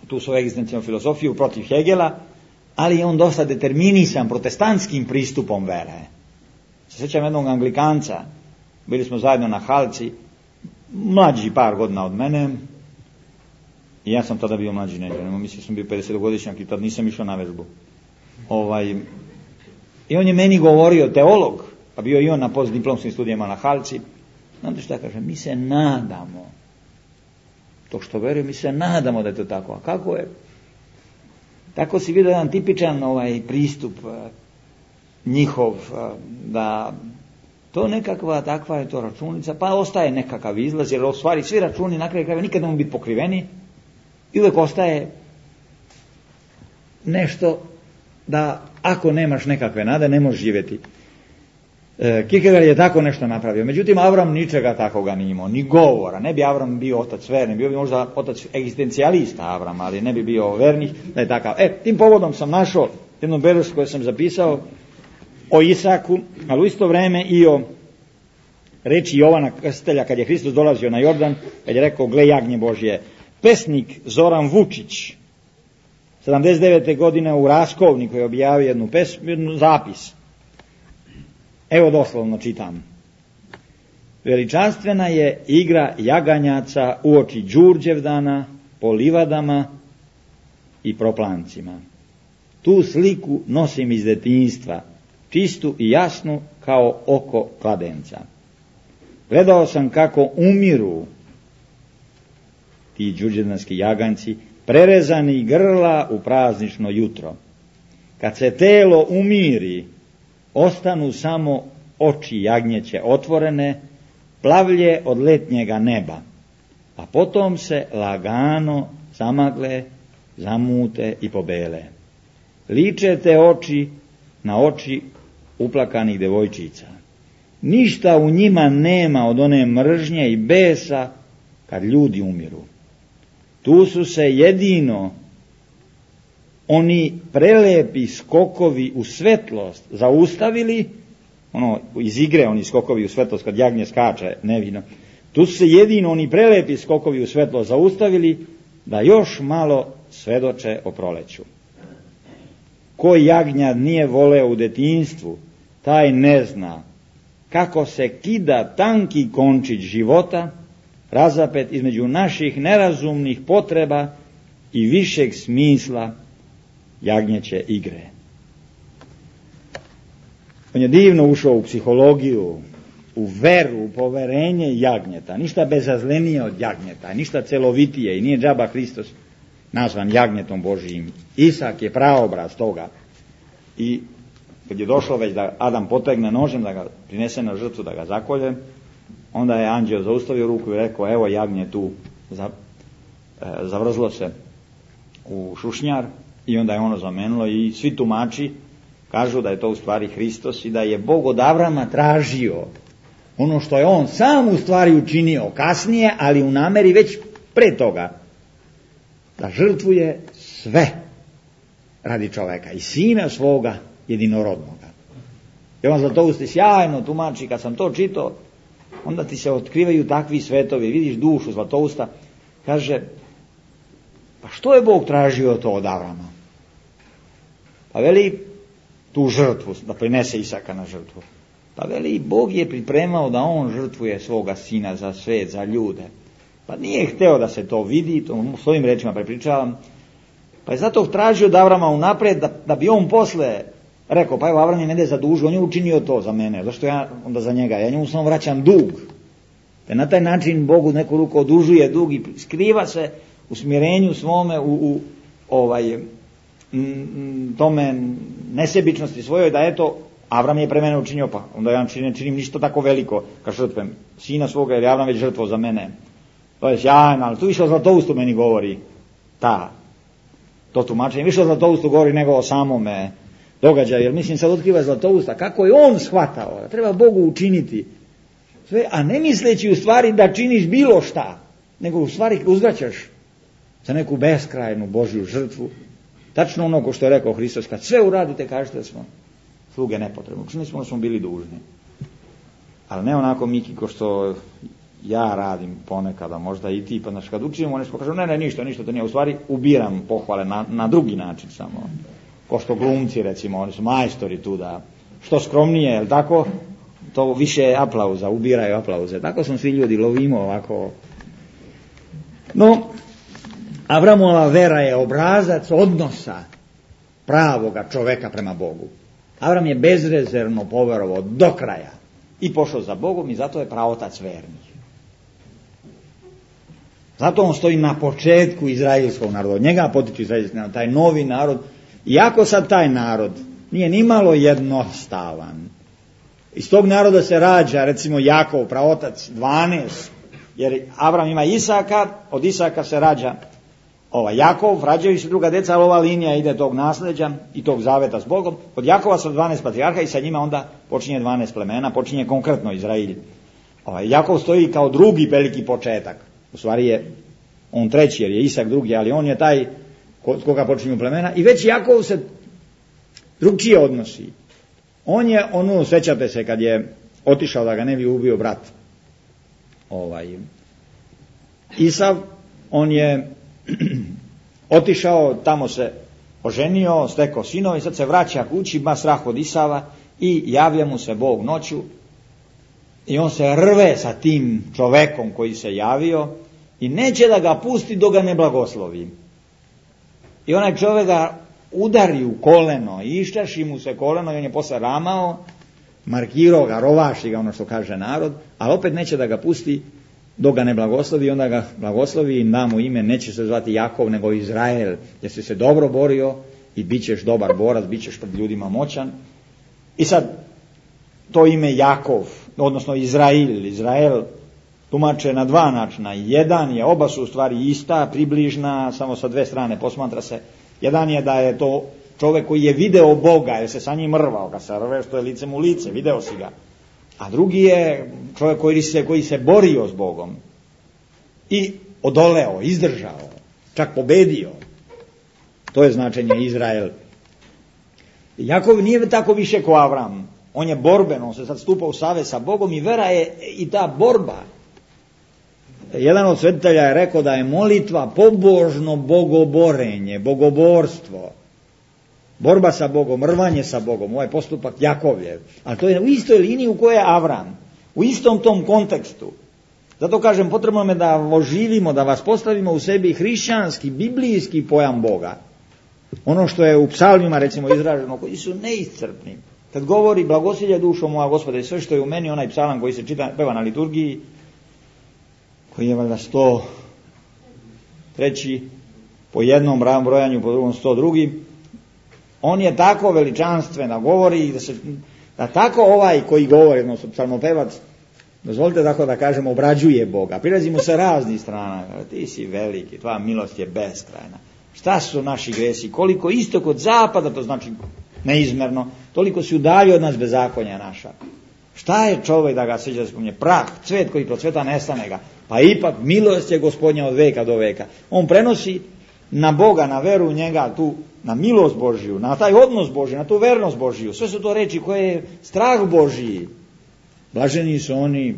tu svoju egzistencijalnu filozofiju protiv Hegela, ali je on dosta determinisan protestantskim pristupom vere. Se sjećam jednog Anglikanca, bili smo zajedno na Halci, mlađi par godina od mene, i ja sam tada bio mlađi neđe, mislim sam bio 50-godišnjak i tad nisam išao na vežbu. I on je meni govorio, teolog, pa bio i on na postdiplomskim studijama na Halci, znate šta kaže, mi se nadamo, to što veruju, mi se nadamo da je to tako. A kako je? Tako si vidio jedan tipičan pristup njihov, da to nekakva takva je to računica, pa ostaje nekakav izlaz, jer u stvari svi računi na kraju krajeva nikad ne mogu biti pokriveni i uvijek ostaje nešto da ako nemaš nekakve nade ne možeš živjeti. Kierkegaard je tako nešto napravio. Međutim, Avram ničega takoga nije imao, ni govora. Ne bi Avram bio otac verni, bio bi možda otac egzistencijalista Avram, ali ne bi bio vernih da je takav. Tim povodom sam našao jednu belešku koju sam zapisao o Isaku, ali u isto vrijeme i o reči Jovana Krstitelja kad je Hristos dolazio na Jordan, kad je rekao gle jagnje Božje. Pesnik Zoran Vučić 79. godine u Raskovniku je objavio jednu zapis. Evo doslovno čitam. Veličanstvena je igra jaganjaca uoči Đurđevdana po livadama i proplancima. Tu sliku nosim iz detinjstva, čistu i jasnu kao oko kladenca. Gledao sam kako umiru ti đurđevdanski jaganjci, prerezani grla u praznično jutro. Kad se telo umiri, ostanu samo oči jagnjeće otvorene, plavlje od letnjega neba, a potom se lagano zamagle, zamute i pobele. Liče te oči na oči uplakanih devojčica. Ništa u njima nema od one mržnje i besa kad ljudi umiru. Tu su se jedino oni prelepi skokovi u svetlost zaustavili, iz igre oni skokovi u svetlost kad jagnje skače nevino, tu su se jedino oni prelepi skokovi u svetlost zaustavili da još malo svedoče o proleću. Ko jagnja nije voleo u detinjstvu, taj ne zna kako se kida tanki končić života, razapet između naših nerazumnih potreba i višeg smisla jagnjeće igre. On je divno ušao u psihologiju, u veru, u poverenje jagnjeta, ništa bezazlenije od jagnjeta, ništa celovitije, i nije džaba Hristos nazvan jagnjetom Božijim. Isak je praobraz toga. I kad je došlo već da Adam potegne nožem, da ga prinese na žrtvu, da ga zakolje, onda je anđeo zaustavio ruku i rekao, evo jagnje tu, zavrzlo se u šušnjar, i onda je ono zamenilo, i svi tumači kažu da je to u stvari Hristos i da je Bog od Avrama tražio ono što je on sam u stvari učinio kasnije, ali u nameri već pre toga, da žrtvuje sve radi čoveka i sina svoga jedinorodnoga. Jovan Zlatousti sjajno tumači, kad sam to čitao, onda ti se otkrivaju takvi svetovi, vidiš dušu Zlatousta, kaže, pa što je Bog tražio to od Avrama? Pa veli, tu žrtvu, da prinese Isaka na žrtvu. Pa veli, Bog je pripremao da on žrtvuje svoga sina za svet, za ljude. Pa nije hteo da se to vidi, to svojim rečima prepričavam, pa je zato tražio od Avrama unapred da bi on posle rekao, pa evo Avram je ne zadužio, on je učinio to za mene, zašto ja onda za njega, ja njemu samo vraćam dug. Te na taj način Bogu neku ruku odužuje dug i skriva se u smirenju svome, u tome nesebičnosti svojoj, da eto, Avram je pre mene učinio, pa onda ja ne činim ništa tako veliko, kad žrtvujem sina svoga, jer je Avram već žrtvo za mene. To je sjajno, ali tu više o Zlatoustu meni govori to tumačenje, više o Zlatoustu govori nego o samome događaju, jer mislim sad otkriva Zlatousta kako je on shvatao da treba Bogu učiniti sve, a ne misleći u stvari da činiš bilo šta, nego u stvari uzvraćaš za neku beskrajnu Božju žrtvu, tačno ono ko što je rekao Hristos, kad sve uradite kažete da smo sluge nepotrebno, učinili smo da smo bili dužni, ali ne onako Miki ko što ja radim ponekada, možda i ti, pa znači kad učinimo nešto kažem, ne, ništa to nije, u stvari ubiram pohvale na drugi način samo, ko što glumci recimo, oni su majstori tu da, što skromnije, jel tako, to više aplauza, ubiraju aplauze, tako smo svi ljudi, lovimo ovako. No, Avramova vera je obrazac odnosa pravoga čoveka prema Bogu. Avram je bezrezervno poverovao do kraja i pošao za Bogom i zato je praotac vernih. Zato on stoji na početku izraelskog naroda, od njega potiče izraelski narod, taj novi narod, iako sad taj narod nije nimalo jednostavan. Iz tog naroda se rađa, recimo Jakov, praotac 12, jer Avram ima Isaka, od Isaka se rađa Jakov, rađaju se druga deca, ali ova linija ide tog nasljeđa i tog zaveta s Bogom. Od Jakova su 12 patrijarha i sa njima onda počinje 12 plemena, počinje konkretno Izrail. Jakov stoji kao drugi veliki početak. U stvari je on treći, jer je Isak drugi, ali on je taj kod koga počinju plemena. I već Jakov se drugčije odnosi. On je, sjećate se kad je otišao da ga ne bi ubio brat Isav, on je otišao, tamo se oženio, stekao sinova i sad se vraća kući, ima strah od Isava i javlja mu se Bog noću i on se rve sa tim čovekom koji se javio i neće da ga pusti dok ga ne blagoslovi. I onaj čovjek ga udari u koleno i iščaši mu se koleno i on je posle ramao, markirao ga, rovaši ga, ono što kaže narod, ali opet neće da ga pusti dok ga ne blagoslovi, onda ga blagoslovi i da mu ime, neće se zvati Jakov nego Izrael, jer si se dobro borio i bit ćeš dobar borac, bit ćeš pred ljudima moćan. I sad to ime Jakov, odnosno Izrael tumače na dva načina. Jedan je, oba su u stvari ista, približna, samo sa dve strane posmatra se. Jedan je da je to čovjek koji je video Boga, jer se sa njim rvao, kad se rve što je licem u lice, video si ga. A drugi je čovjek koji se borio s Bogom i odoleo, izdržao, čak pobedio. To je značenje Izrael. Jakov nije tako više ko Avram. On je borben, on se sad stupa u savez sa Bogom i vera je i ta borba. jedan od svetitelja je rekao da je molitva pobožno bogoborenje, bogoborstvo. Borba sa Bogom, rvanje sa Bogom, ovaj postupak Jakovljev. Ali to je u istoj liniji u kojoj je Avram. U istom tom kontekstu. Zato kažem, potrebno je da oživimo, da vas postavimo u sebi hrišćanski, biblijski pojam Boga. Ono što je u psalmima recimo izraženo, koji su neiscrpni. Kad govori blagosilje dušo moja Gospoda i sve što je u meni, onaj psalam koji se peva na liturgiji, koji je valjda 103. po jednom brojanju, po drugom 102. On je tako veličanstven da govori da tako ovaj koji govori, odnosno psalmopevac, dozvolite tako da kažem, obrađuje Boga. Prilazi mu sa raznih strana. Ti si veliki, tvoja milost je beskrajna. Šta su naši gresi? Koliko istok od zapada, to znači neizmerno, toliko si udalji od nas bezakonja naša. Šta je čovjek da ga sviđa da spominje? Prah, cvet koji procveta, nestane ga. Pa ipak milost je Gospodnja od veka do veka. On prenosi na Boga, na veru u njega, tu, na milost Božiju, na taj odnos Božji, na tu vernost Božiju. Sve su to reči koje je strah Božji. Blaženi su oni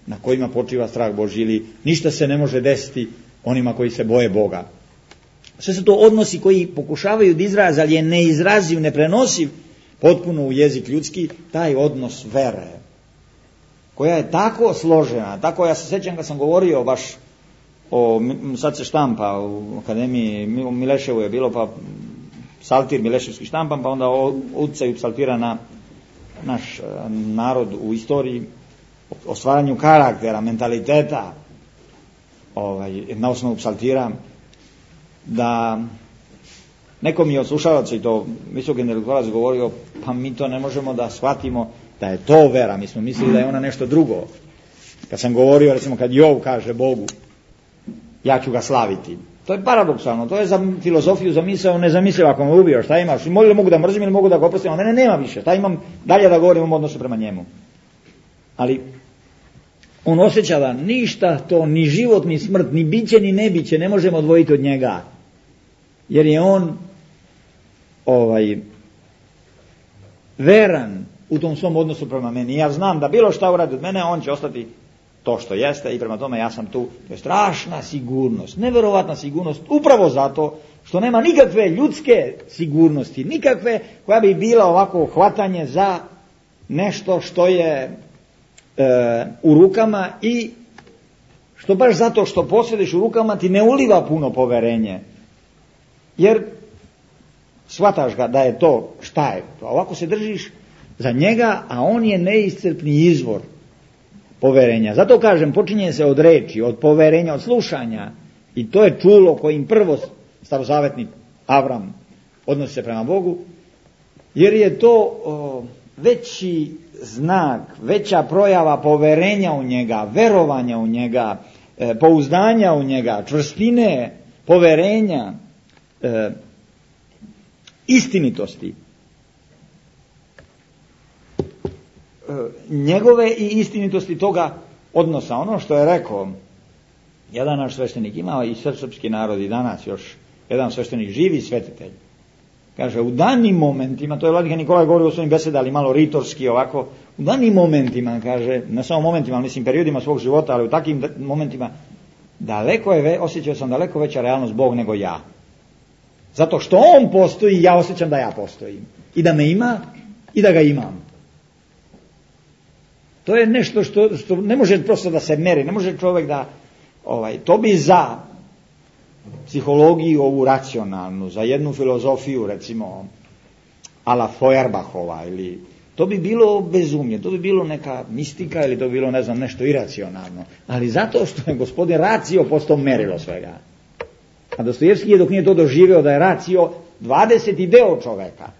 na kojima počiva strah Božji, ili ništa se ne može desiti onima koji se boje Boga. Sve su to odnosi koji pokušavaju da izraze, ali je neizraziv, neprenosiv potpuno u jezik ljudski, taj odnos vere, koja je tako složena, tako, ja se sjećam kad sam govorio baš sad se štampa u Akademiji Mileševu je bilo, pa psaltir Mileševski štampan, pa onda utjecaju psaltira na naš narod u istoriji, o stvaranju karaktera, mentaliteta, na osnovu psaltira, da neko mi je od slušalaca i to visok intelektualac govorio, pa mi to ne možemo da shvatimo da je to vera, mi smo mislili da je ona nešto drugo. Kad sam govorio, recimo kad Jov kaže Bogu, ja ću ga slaviti. To je paradoksalno, to je za filozofiju, za misao nezamislivo. Ako me ubio, šta imaš? Ili mogu da mrzim ili mogu da ga oprostim, a mene nema više. Šta imam dalje da govorim u odnosu prema njemu? Ali on osjeća da ništa to, ni život, ni smrt, ni biće, ni nebiće ne možemo odvojiti od njega. Jer je on veran u tom svom odnosu prema meni. Ja znam da bilo šta uradi od mene, on će ostati to što jeste i prema tome ja sam tu. To je strašna sigurnost, neverovatna sigurnost, upravo zato što nema nikakve ljudske sigurnosti, nikakve koja bi bila ovako hvatanje za nešto što je u rukama i što baš zato što posjediš u rukama ti ne uliva puno poverenje. Jer shvataš ga da je to, šta je to, ovako se držiš za njega, a on je neiscrpni izvor poverenja. Zato kažem, počinje se od reči, od poverenja, od slušanja, i to je čulo kojim prvo starozavetni Avram odnosi se prema Bogu, jer je to veći znak, veća projava poverenja u njega, verovanja u njega, pouzdanja u njega, čvrstine, poverenja, istinitosti. Njegove i istinitosti toga odnosa. Ono što je rekao jedan naš sveštenik, imao i srpski narod i danas još jedan sveštenik, živi svetitelj. Kaže, u danim momentima, to je vladika Nikolaj govorio u svojim besedama, ali malo ritorski ovako, u danim momentima, kaže, ne samo momentima, ali mislim periodima svog života, ali u takvim momentima, osjećao sam daleko veća realnost Bog nego ja. Zato što on postoji, ja osjećam da ja postojim. I da me ima, i da ga imam. To je nešto što ne može prosto da se meri, ne može čovjek da, to bi za psihologiju ovu racionalnu, za jednu filozofiju, recimo, a la Feuerbachova, ili to bi bilo bezumlje, to bi bilo neka mistika, ili to bi bilo, ne znam, nešto iracionalno. Ali zato što je gospodin racio postao merilo svega. A Dostojevski je, dok nije to doživio, da je racio 20. deo čoveka.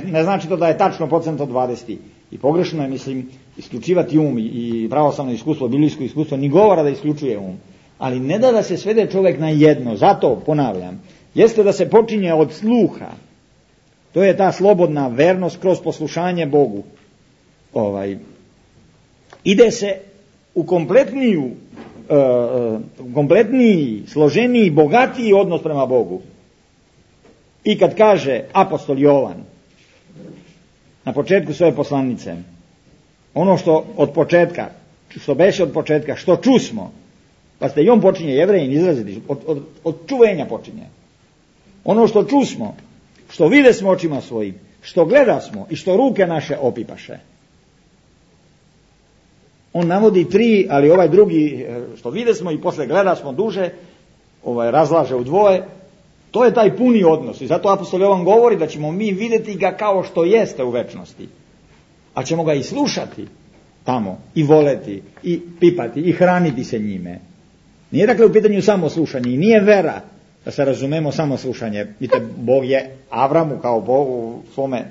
Ne znači to da je tačno procent od 20. I pogrešno je, mislim, isključivati um i pravoslavno iskustvo, biblijsko iskustvo, ni govora da isključuje um. Ali ne da se svede čovjek na jedno. Zato, ponavljam, jeste da se počinje od sluha. To je ta slobodna vernost kroz poslušanje Bogu. Ide se u kompletniji, složeniji, bogatiji odnos prema Bogu. I kad kaže apostol Jovan na početku svoje poslanice, ono što od početka što beše od početka, što čusmo. Pa ste i on počinje, Jevrejin, izraziti, od čuvenja počinje. Ono što čusmo, što vide smo očima svojim, što gleda smo i što ruke naše opipaše. On navodi 3, ali ovaj drugi, što vide smo i posle gleda smo duže, razlaže u dvoje. To je taj puni odnos. I zato apostol Jovan govori da ćemo mi vidjeti ga kao što jeste u večnosti. A ćemo ga i slušati tamo, i voleti, i pipati, i hraniti se njime. Nije dakle u pitanju samo slušanje, i nije vera, da se razumemo, samo slušanje. Vidite, Bog je Avramu kao Bogu, svome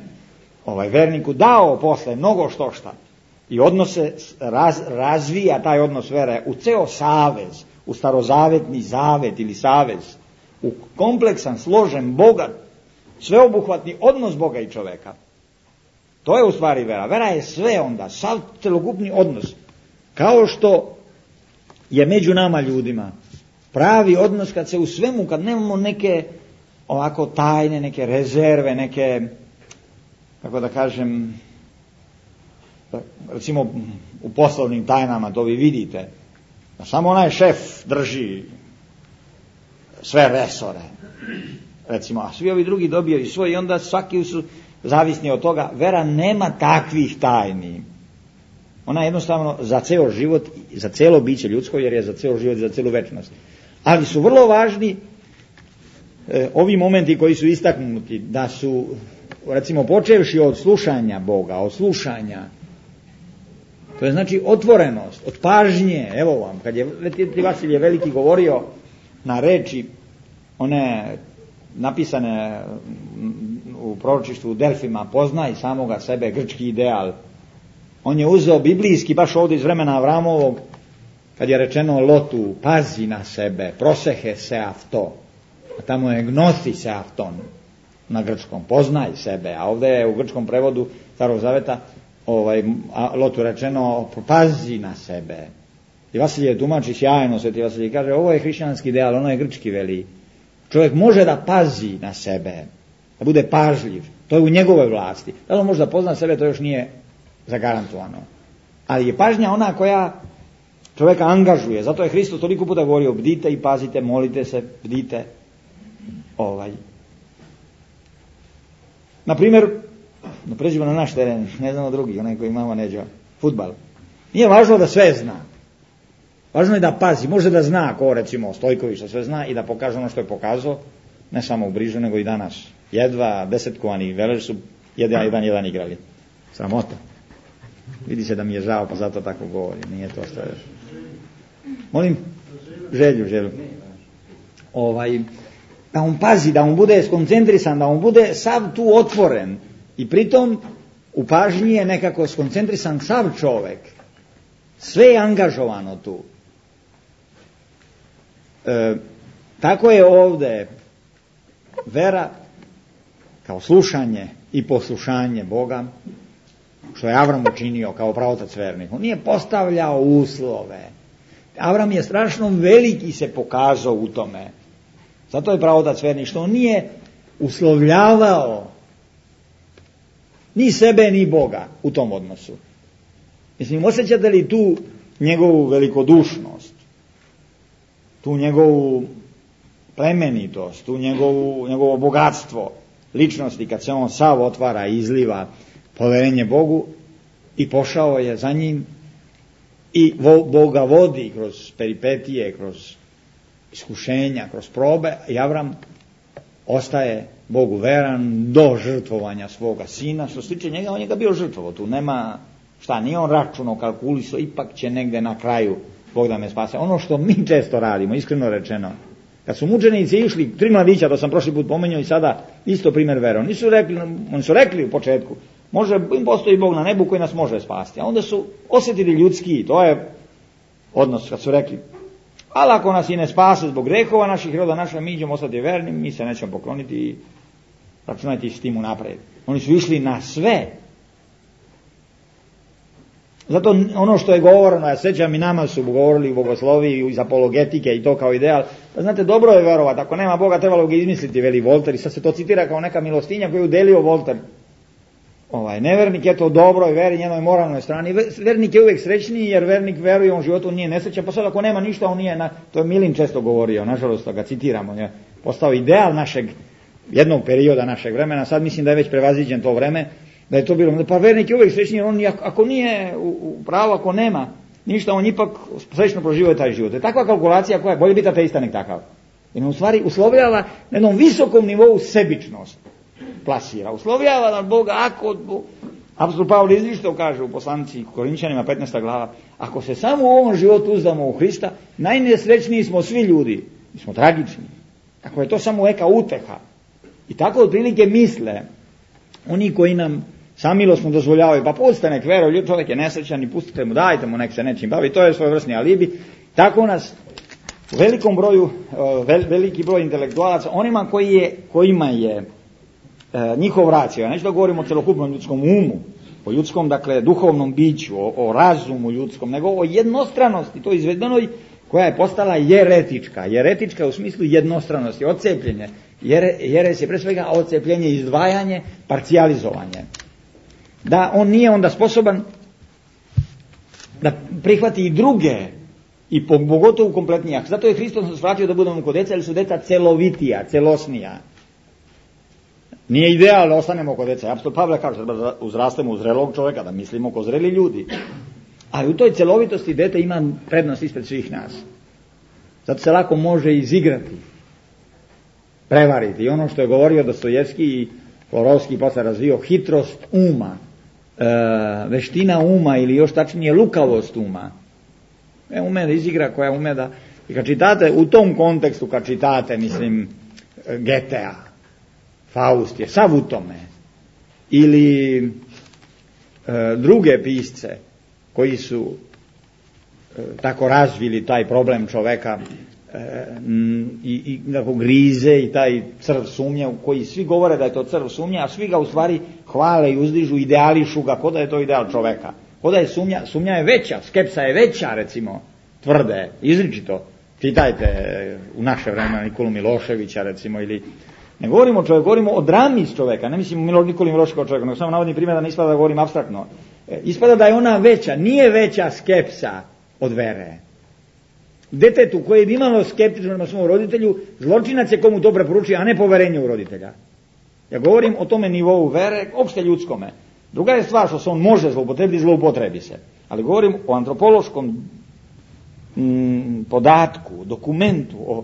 verniku, dao posle mnogo šta. I odnose razvija taj odnos vere u ceo savez, u starozavetni zavet ili savez, u kompleksan, složen, bogat, sveobuhvatni odnos Boga i čoveka. To je u stvari vera. Vera je sve onda, sav celokupni odnos. Kao što je među nama ljudima pravi odnos kad se u svemu, kad nemamo neke ovako tajne, neke rezerve, neke, kako da kažem, recimo u poslovnim tajnama, to vi vidite, da samo onaj šef drži sve resore, recimo, a svi ovi drugi dobijaju svoj i onda svaki su zavisni od toga. Vera nema takvih tajni. Ona je jednostavno za ceo život, za celo biće ljudsko, jer je za ceo život i za celu večnost. Ali su vrlo važni ovi momenti koji su istaknuti, da su, recimo, počevši od slušanja Boga, od slušanja, to je znači otvorenost, od pažnje. Evo vam, kad je Vasilije Veliki govorio na reči, one napisane u proročištvu u Delfima, poznaj samoga sebe, grčki ideal. On je uzeo biblijski, baš ovdje iz vremena Avramovog, kad je rečeno Lotu, pazi na sebe, prosehe se avto, a tamo je gnosi se avton na grčkom, poznaj sebe, a ovdje je u grčkom prevodu Starog Zaveta Lotu rečeno, pazi na sebe. I Vasilije tumači sjajno, Sveti Vasilije kaže, ovo je hrišćanski ideal, ono je grčki veli. Čovjek može da pazi na sebe, da bude pažljiv, to je u njegovoj vlasti. Da li on može da pozna sebe, to još nije zagarantovano. Ali je pažnja ona koja čovjeka angažuje. Zato je Hristos toliko puta govorio, bdite i pazite, molite se, bdite. Na primjer, pređimo na naš teren, ne znamo drugi, onaj koji imamo neđa, fudbal. Nije važno da sve zna. Važno je da pazi, može da zna, ko recimo Stojković da sve zna i da pokaže ono što je pokazao, ne samo u Brižu, nego i danas. Jedva desetkovani Velež su jedan igrali. Sramota. Vidi se da mi je žao, pa zato tako govori. Nije to što je. Molim? Želju. Da on pazi, da on bude skoncentrisan, da on bude sav tu otvoren. I pritom u pažnji je nekako skoncentrisan sav čovek. Sve je angažovano tu. Tako je ovdje vera kao slušanje i poslušanje Boga, što je Avram učinio kao pravotac vernih. On nije postavljao uslove. Avram je strašno veliki se pokazao u tome. Zato je pravotac vernih, što on nije uslovljavao ni sebe ni Boga u tom odnosu. Mislim, osjećate li tu njegovu velikodušnost, tu njegovu plemenitost, tu njegovo bogatstvo ličnosti, kad se on sav otvara i izliva poverenje Bogu, i pošao je za njim i Boga vodi kroz peripetije, kroz iskušenja, kroz probe, i Avram ostaje Bogu veran do žrtvovanja svoga sina. Što se tiče njega, on je ga bio žrtvovo, tu nema šta, nije on računao, kalkulisao, ipak će negde na kraju Bog da me spase. Ono što mi često radimo, iskreno rečeno, kad su mučenici išli, 3 mladića, to sam prošli put pomenuo i sada isto primjer vere, oni su rekli u početku, može, im postoji Bog na nebu koji nas može spasti, a onda su osjetili ljudski, to je odnos, kad su rekli, ali ako nas i ne spase zbog grehova naših, roda naša, mi ćemo ostati verni, mi se nećemo pokloniti i računajte s tim unaprijed. Oni su išli na sve. Zato ono što je govoreno, ja sećam, i nama su govorili u bogosloviji iz apologetike i to kao ideal, da znate, dobro je verovati, ako nema Boga trebalo ga izmisliti, veli Volter, i sad se to citira kao neka milostinja koju udelio Volter Nevernik je to dobroj veri, njenoj moralnoj strani. Vernik je uvijek srećniji jer vernik veruje, on životu nije nesrećan, pa sad ako nema ništa, on nije, to je Milin često govorio, nažalost ga citiramo, je postao ideal našeg, jednog perioda našeg vremena, sad mislim da je već prevaziđen to vreme, da je to bilo, pa vernik je uvijek srećniji jer on ako nije u pravu, ako nema ništa, on ipak srećno proživio taj život. To je takva kalkulacija koja je bolje biti ateista nek takav. Jer on u stvari uslovljava na jednom visokom nivou sebičnost. Plasira, uslovljava da Boga, ako, apostol Pavle izričito kaže u poslanici Korinčanima 15. glava, ako se samo u ovom životu uzdamo u Hrista, najnesrećniji smo svi ljudi, mi smo tragični. Ako je to samo neka uteha. I tako otprilike misle oni koji nam samilosno dozvoljavaju, pa pustite nek veruje, čovjek je nesrećan i pustite mu, dajte mu nek se nečim bavi, to je svojevrsni alibi. Tako nas u velikom broju, veliki broj intelektualaca, onima kojima je njihov racio, ja neću da govorim o celokupnom ljudskom umu, o ljudskom, dakle, duhovnom biću, o razumu ljudskom, nego o jednostranosti, to izvedenoj, koja je postala jeretička. Jeretička u smislu jednostranosti, odcepljenje. Jeres je pre svega odcepljenje, izdvajanje, parcijalizovanje. Da on nije onda sposoban da prihvati i druge, i pogotovo kompletnije. Zato je Hristos nas vratio da budemo kod deca, jer su deca celovitija, celosnija. Nije ideal da ostanemo kod deca. Apostol Pavle kaže da uzrastemo u zrelog čovjeka, da mislimo ko zreli ljudi. Ali u toj celovitosti dete ima prednost ispred svih nas. Zato se lako može izigrati, prevariti. I ono što je govorio Dostojevski i Florovski posle razvio, hitrost uma, veština uma ili još tačnije lukavost uma. Ume da izigra, koja ume da... I kad čitate, u tom kontekstu kad čitate, mislim, Getea, Faust je sav u tome, ili druge pisce koji su tako razvili taj problem čoveka i grize i taj crv sumnje, u koji svi govore da je to crv sumnje, a svi ga u stvari hvale i uzdižu, ideališu ga, ko da je to ideal čoveka. Ko da je sumnja je veća, skepsa je veća, recimo, tvrde, izričito. Čitajte u naše vreme Nikolu Miloševića, recimo, ili... Ne govorimo o čovjeku, govorimo o drami iz čovjeka, ne mislim Nikoli Miloševića kao čovjeka, nego samo navodim primjer da ne ispada da govorim apstraktno. Ispada da je ona veća, nije veća skepsa od vere. Detetu koje bi imalo skeptično prema svom roditelju, zločinac je komu to preporučuje, a ne poverenje u roditelja. Ja govorim o tome nivou vere, opšte ljudskome. Druga je stvar što se on može zloupotrebiti, zloupotrebi se. Ali govorim o antropološkom podatku, dokumentu, o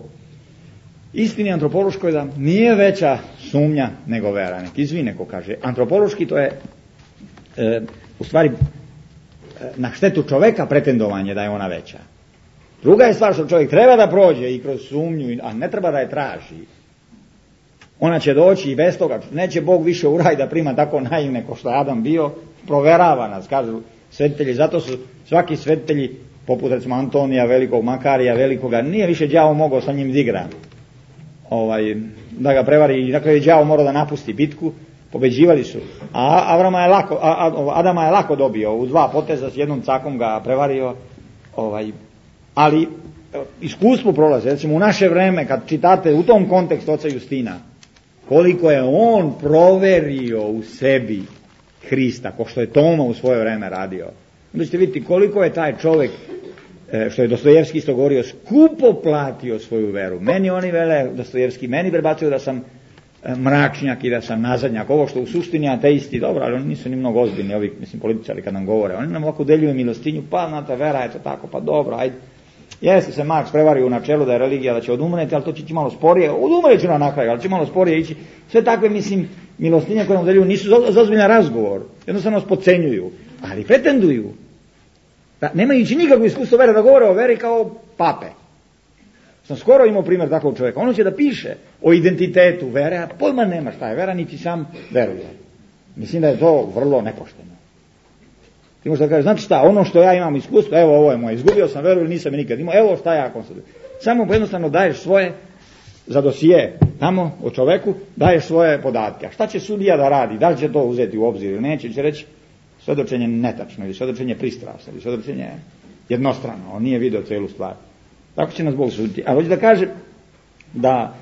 istini antropološkoj, da nije veća sumnja nego vera. Nek izvine ko kaže. Antropološki to je u stvari na štetu čoveka pretendovanje da je ona veća. Druga je stvar što čovjek treba da prođe i kroz sumnju, a ne treba da je traži. Ona će doći i bez toga. Neće Bog više u raj da prima tako naivne ko što je Adam bio. Proverava nas, kažu svetitelji. Zato su svaki svetitelji, poput recimo Antonija Velikog, Makarija Velikoga, nije više đavo mogao sa njim igra. Da ga prevari. I dakle je đavo morao da napusti bitku. Pobeđivali su. A Adama je lako dobio. U 2 poteza s jednom cakom ga prevario. Ali iskustvo prolaze. Recimo u naše vreme, kad čitate u tom kontekstu oca Justina, koliko je on proverio u sebi Hrista, ko što je Toma u svoje vreme radio. Onda ćete vidjeti koliko je taj čovjek, što je Dostojevski isto govorio, skupo platio svoju veru. Meni oni vele, Dostojevski, meni prebacuju da sam mračnjak i da sam nazadnjak. Ovo što u suštini ateisti, dobro, ali oni nisu ni mnogo ozbiljni, ovi, mislim, političari kad nam govore. Oni nam ovako deljuju milostinju, pa znate, vera je to tako, pa dobro, ajde. Jeste se Marks prevario u načelu da je religija da će odumreti, ali to će ići malo sporije. Odumret će na kraju, ali će malo sporije ići. Sve takve, mislim, milostinje koje nam deljuju nisu za ozbiljan razgovor. Jednostavno nas podcenjuju, ali pretenduju. Da, nemajući nikakvo iskustvo vere, da govore o veri kao pape. Sam skoro imao primjer takvog čovjeka. Ono će da piše o identitetu vere, a pojma nema šta je vera, niti sam veruje. Mislim da je to vrlo nepošteno. Ti možeš da kažeš, znači šta, ono što ja imam iskustvo, evo ovo je moje, izgubio sam veru ili nisam je nikad imao, evo šta ja konstatujem. Samo jednostavno daješ svoje, za dosije tamo o čoveku, daješ svoje podatke. A šta će sudija da radi, da li će to uzeti u obzir ili neće, će reći svedočenje netačno, ili svedočenje pristrasno, ili svedočenje jednostrano, on nije vidio celu stvar. Tako će nas Bog suditi. A hoće da kaže da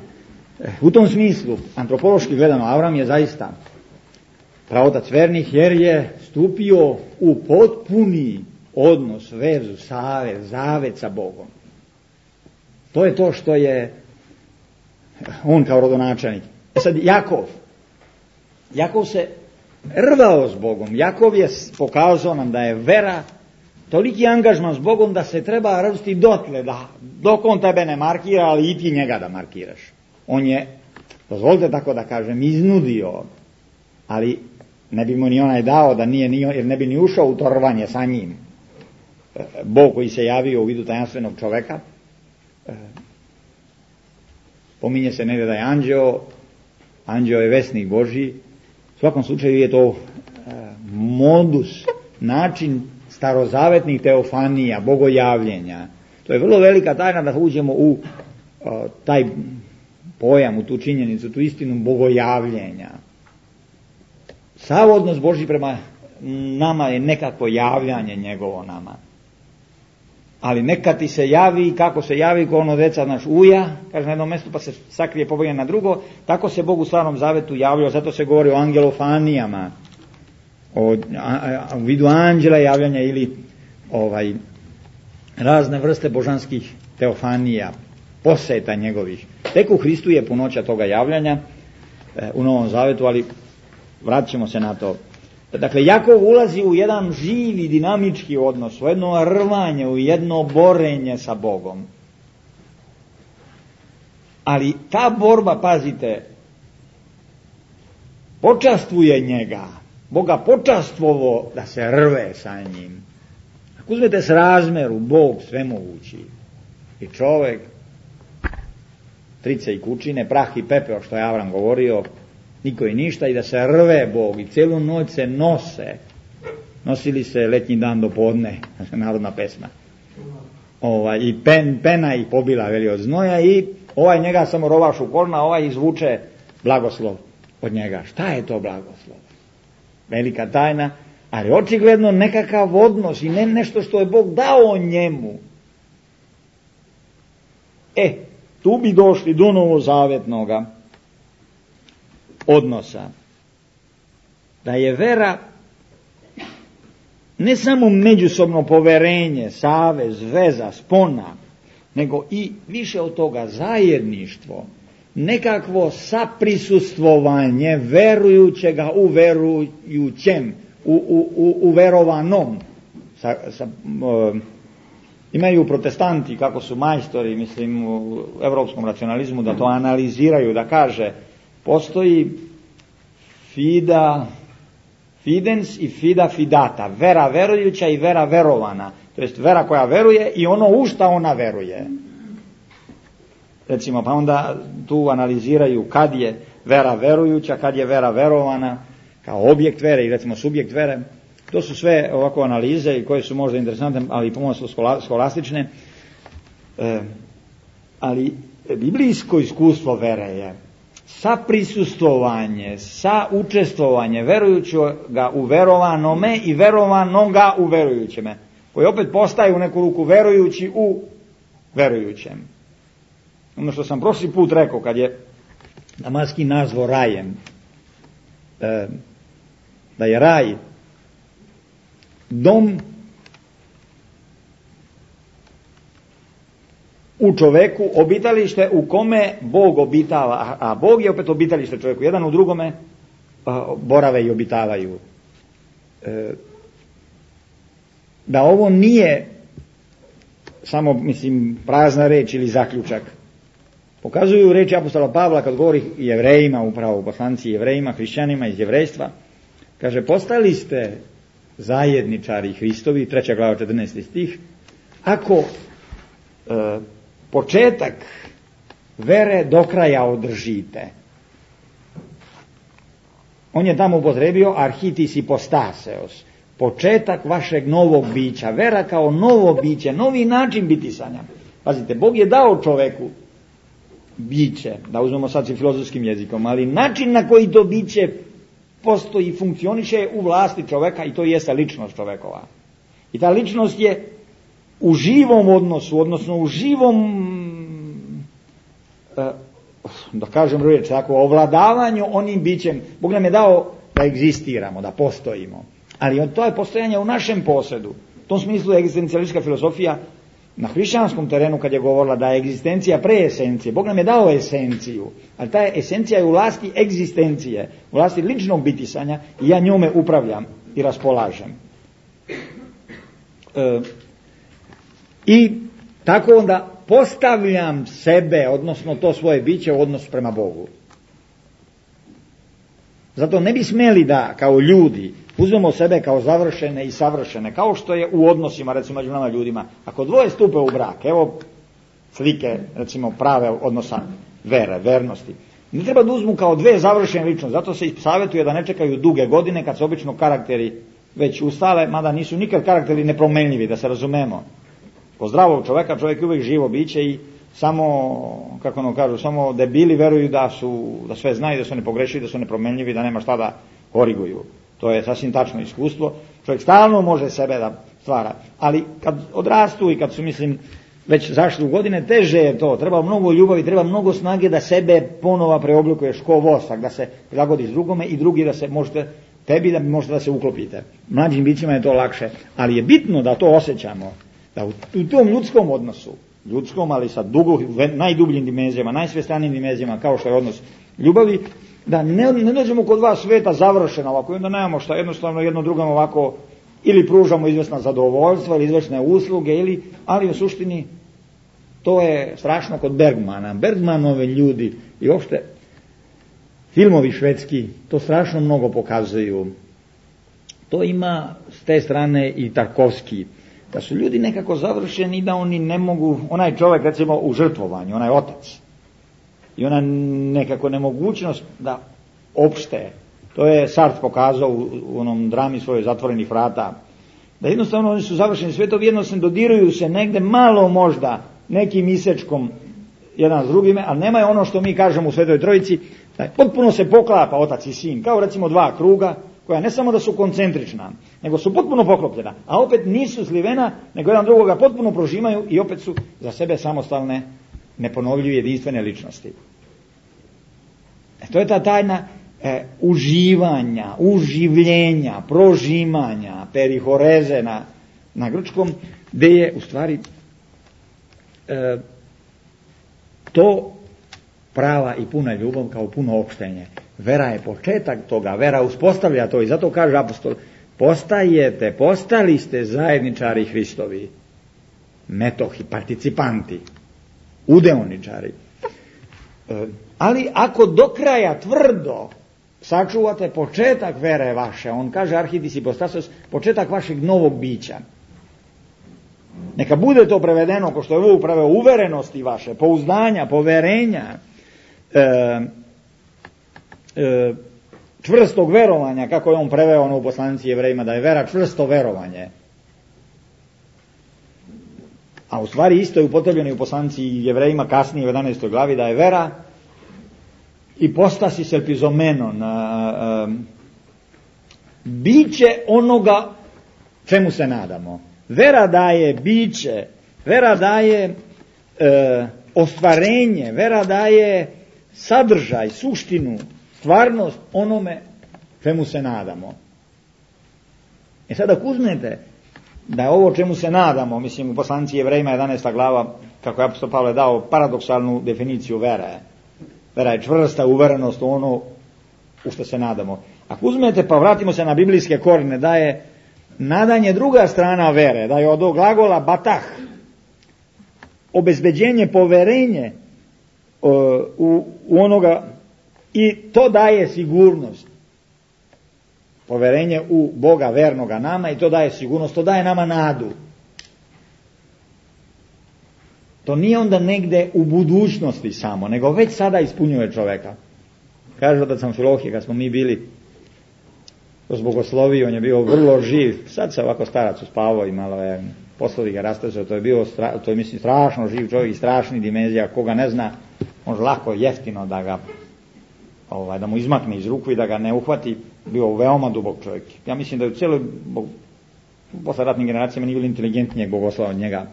u tom smislu, antropološki gledano, Avram je zaista praotac vernih, jer je stupio u potpuni odnos, vezu, savez, zavet sa Bogom. To je to što je on kao rodonačelnik. Sad Jakov se rvao s Bogom. Jakov je pokazao nam da je vera toliki angažman s Bogom da se treba rvsti dotle, dok on tebe ne markira, ali i ti njega da markiraš. On je, dozvolite tako da kažem, iznudio, ali ne bi mu ni onaj dao da nije, jer ne bi ni ušao u to rvanje sa njim. Bog koji se javio u vidu tajanstvenog čoveka, pominje se negdje da je anđeo je vesnik Božji. U svakom slučaju je to modus, način starozavetnih teofanija, bogojavljenja. To je vrlo velika tajna da uđemo u taj pojam, u tu činjenicu, tu istinu bogojavljenja. Sav odnos Božji prema nama je nekako javljanje njegovo nama. Ali neka ti se javi, kako se javi, ko ono deca naš uja, kaže na jednom mjestu pa se sakrije, pobegne na drugo, tako se Bog u Starom Zavetu javljao, zato se govori o angelofanijama, u vidu anđela javljanja ili razne vrste božanskih teofanija, poseta njegovih. Tek u Hristu je punoća toga javljanja u Novom Zavetu, ali vratit ćemo se na to. Dakle, Jakov ulazi u jedan živi, dinamički odnos, u jedno rvanje, u jedno borenje sa Bogom. Ali ta borba, pazite, počastvuje njega. Boga počastvovo da se rve sa njim. Ako uzmete s razmeru, Bog svemogući i čovek, trice i kućine, prah i pepeo, što je Avram govorio, niko i ništa, i da se rve Bog i cijelu noć se nosili se letnji dan do podne, narodna pesma, i pena ih pobila, veli, od znoja, i ovaj njega samo rovaš u kolna, ovaj izvuče blagoslov od njega. Šta je to blagoslov? Velika tajna, ali očigledno nekakav odnos i ne nešto što je Bog dao njemu. Tu bi došli do novozavetnoga odnosa. Da je vera ne samo međusobno poverenje, savez, veza, spona, nego i više od toga zajedništvo, nekakvo saprisustvovanje verujućega u verujućem, u verovanom. Imaju protestanti, kako su majstori, mislim, u evropskom racionalizmu, da to analiziraju, da kaže, postoji fidens i fida fidata, vera verujuća i vera verovana, to jest vera koja veruje i ono u šta ona veruje. Recimo, pa onda tu analiziraju kad je vera verujuća, kad je vera verovana, kao objekt vere i recimo subjekt vere. To su sve ovako analize i koje su možda interesantne, ali i pomalo su skolastične. Ali biblijsko iskustvo vere je saprisustvovanje, saučestvovanje verujućega u verovanome i verovanoga u verujućeme, koji opet postaje u neku ruku verujući u verujućem. Ono što sam prošli put rekao, kad je Damaskin nazvao rajem, da je raj dom u čoveku, obitalište u kome Bog obitava, a Bog je opet obitalište čovjeku, jedan u drugome borave i obitavaju. Da ovo nije samo, mislim, prazna reč ili zaključak. Pokazuju reči apostola Pavla kad govori Jevrejima, upravo u poslanici Jevrejima, hrišćanima iz jevrejstva. Kaže, postali ste zajedničari Hristovi, 3. glava 14. stih, ako početak vere do kraja održite. On je tamo upotrebio arhitis ipostaseos, početak vašeg novog bića, vera kao novo biće, novi način bitisanja. Pazite, Bog je dao čoveku biće, da uzmemo sad s filozofskim jezikom, ali način na koji to biće postoji i funkcioniše u vlasti čoveka, i to jeste ličnost čovekova. I ta ličnost je u živom odnosu, odnosno u živom, da kažem riječ tako, ovladavanju onim bićem. Bog nam je dao da egzistiramo, da postojimo. Ali to je postojanje u našem posedu. U tom smislu je egzistencijalistička filozofija na hrišćanskom terenu kad je govorila da je egzistencija pre esencije. Bog nam je dao esenciju, ali ta esencija je u vlasti egzistencije, u vlasti ličnog bitisanja i ja njome upravljam i raspolažem. I tako onda postavljam sebe, odnosno to svoje biće u odnosu prema Bogu. Zato ne bi smjeli da kao ljudi uzmemo sebe kao završene i savršene, kao što je u odnosima, recimo među nama ljudima. Ako dvoje stupe u brak, evo slike, recimo prave odnosa vere, vernosti. Ne treba da uzmu kao dve završene ličnosti, zato se savjetuje da ne čekaju duge godine kad se obično karakteri već ustale, mada nisu nikad karakteri nepromenljivi, da se razumemo. Kod zdravog čovjeka, čovjek je uvijek živo biće i samo, kako ono kažu, samo debili veruju da sve znaju, da su nepogrešivi, da su nepromenljivi, da nema šta da koriguju. To je sasvim tačno iskustvo. Čovjek stalno može sebe da stvara. Ali kad odrastu i kad su, mislim, već zašli u godine, teže je to. Treba mnogo ljubavi, treba mnogo snage da sebe ponova preoblikuješ ko vosak, da se prilagodiš drugome i drugi da se možete, tebi da možete da se uklopite. Mlađim bićima je to lakše. Ali je bitno da to osjećamo. Da u tom ljudskom odnosu, ljudskom, ali sa najdubljim dimenzijama, najsvestanijim dimenzijama, kao što je odnos ljubavi, da ne dođemo kod vas sveta završeno ovako, i onda nemamo šta, jednostavno jedno drugom ovako, ili pružamo izvesna zadovoljstva, ili izvesne usluge, ali u suštini to je strašno kod Bergmana. Bergmanove ljudi i uopšte filmovi švedski to strašno mnogo pokazuju. To ima s te strane i Tarkovski. Da su ljudi nekako završeni i da oni ne mogu, onaj čovjek recimo u žrtvovanju, onaj otac, i ona nekako nemogućnost da opšte, to je Sartre pokazao u onom drami svoje Zatvorenih vrata, da jednostavno oni su završeni svetovi, jednostavno dodiruju se negde malo možda nekim isečkom jedan s drugime, ali nemaju ono što mi kažemo u Svetoj Trojici, da potpuno se poklapa otac i sin, kao recimo dva kruga, koja ne samo da su koncentrična, nego su potpuno poklopljena, a opet nisu slivena, nego jedan drugoga potpuno prožimaju i opet su za sebe samostalne, neponovljive, jedinstvene ličnosti. To je ta tajna uživanja, uživljenja, prožimanja, perihoreze na grčkom, gdje je u stvari to prava i puna ljubav kao puno opštenje. Vera je početak toga, vera uspostavlja to i zato kaže apostol, postali ste zajedničari Hristovi, metohi, participanti, udeoničari. Ali ako do kraja tvrdo sačuvate početak vere vaše, on kaže arhitis hypostasos, početak vašeg novog bića, neka bude to prevedeno, ko što je ovo preveo, uverenosti vaše, pouzdanja, poverenja, čvrstog verovanja, kako je on preveo ono u poslanici Jevrejima, da je vera čvrsto verovanje. A u stvari isto je upotrebljeno i u poslanici Jevrejima kasnije u 11. glavi, da je vera ipostasi selpizomenon, biće onoga čemu se nadamo. Vera daje biće, vera daje ostvarenje, vera daje sadržaj, suštinu, stvarnost onome čemu se nadamo. I sad ako uzmete da je ovo čemu se nadamo, mislim u poslanici Jevrejima 11. glava, kako je apostol Pavle dao paradoksalnu definiciju vere. Vera je čvrsta uverenost u ono u što se nadamo. Ako uzmete pa vratimo se na biblijske korijene, da je nadanje druga strana vere, da je od glagola batah, obezbeđenje, poverenje u onoga, i to daje sigurnost. Poverenje u Boga vernoga nama, i to daje sigurnost, to daje nama nadu. To nije onda negde u budućnosti samo, nego već sada ispunjuje čoveka. Kaže otac Amfilohije, kad smo mi bili kroz bogosloviju, on je bio vrlo živ, sad se ovako starac uspavao i malo je poslovi ga rastezao, to je mislim strašno živ čovjek i strašni dimenzija, koga ne zna, može lako jeftino da ga da mu izmakne iz ruku i da ga ne uhvati, bio veoma dubok čovjek. Ja mislim da je u cijeloj posle ratnim generacijama nije bilo inteligentnijeg bogoslova od njega.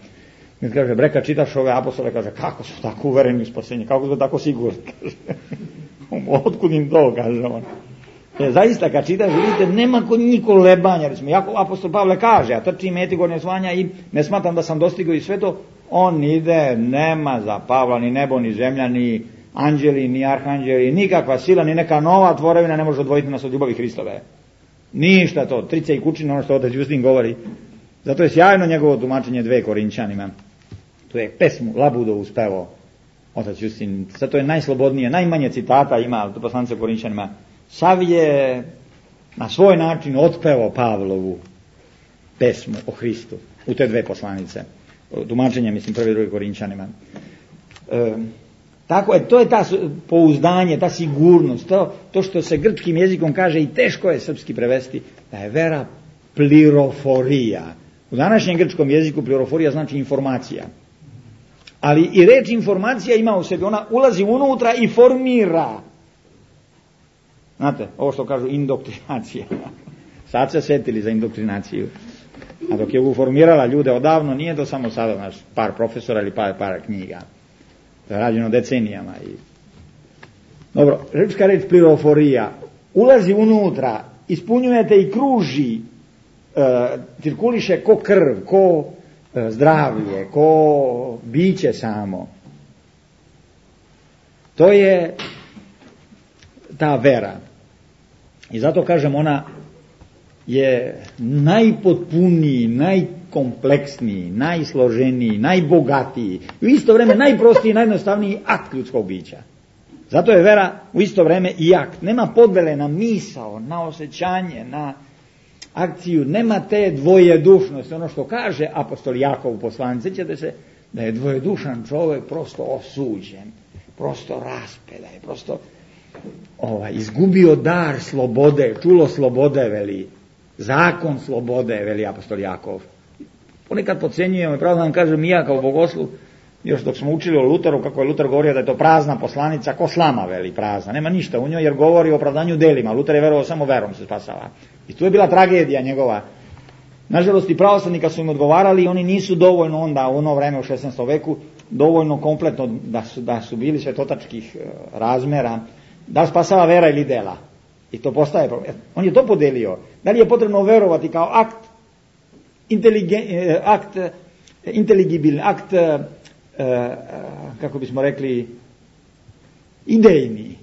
Mi kaže, breka, čitaš ove apostole, kaže, kako su tako uvereni u spasenje, kako su tako sigurni, kaže. Otkud im to, kaže on. Zaista kad čitaš, vidite, nema kod njih kolebanja, recimo, jako apostol Pavle kaže, ja trčim meti gornje osvanja i ne smatram da sam dostigao i sve to, on ide, nema za Pavla ni nebo, ni zemlja, ni anđeli, ni arhanđeli, nikakva sila, ni neka nova tvorevina ne može odvojiti nas od ljubavi Hristove. Ništa to, trice i kućine, ono što otac Justin govori. Zato je sjajno njegovo tumačenje 2 Korinčanima. To je pesmu Labudovu spevao otac Justin. Zato je najslobodnije, najmanje citata ima u poslanici Korinčanima. Sav je na svoj način otpevao Pavlovu pesmu o Hristu u te 2 poslanice. Tumačenje, mislim, 1. i 2. Korinčanima. Tako je, to je ta pouzdanje, ta sigurnost, to što se grčkim jezikom kaže i teško je srpski prevesti, da je vera pliroforija. U današnjem grčkom jeziku pliroforija znači informacija. Ali i reč informacija ima u sebi, ona ulazi unutra i formira. Znate, ovo što kažu indoktrinacija. Sad se setili za indoktrinaciju. A dok je uformirala ljude odavno, nije to samo sada naš par profesora ili par knjiga. To je rađeno decenijama. Dobro, grčka reč pliroforija ulazi unutra, ispunjujete i kruži, cirkuliše ko krv, ko zdravlje, ko biće samo. To je ta vera. I zato kažem, ona je najpotpuniji, najkompleksniji, najsloženiji, najbogatiji, u isto vrijeme najprostiji i najjednostavniji akt ljudskog bića. Zato je vera u isto vrijeme i akt. Nema podvele na misao, na osjećanje, na akciju, nema te dvojedušnosti. Ono što kaže apostol Jakov u poslanici, sjećate se da je dvojedušan čovjek prosto osuđen, prosto raspedan, prosto izgubio dar slobode, čulo slobode, veli, zakon slobode, veli apostol Jakov. Ponekad podcjenjujemo i pravo da vam kažem i ja kao bogoslov, još dok smo učili o Luteru, kako je Luter govorio da je to prazna poslanica, ko slama, veli, prazna, nema ništa u njoj jer govori o opravdanju delima. Luter je verovao samo verom se spasava. I tu je bila tragedija njegova. Nažalost i pravoslavni kad su im odgovarali, oni nisu dovoljno onda u ono vreme u 16. veku dovoljno kompletno da su bili svetotačkih razmera, da spasava vera ili dela. I to postaje problem. On je to podelio. Da li je potrebno verovati kao akt inteligibilni, akt kako bismo rekli idejni,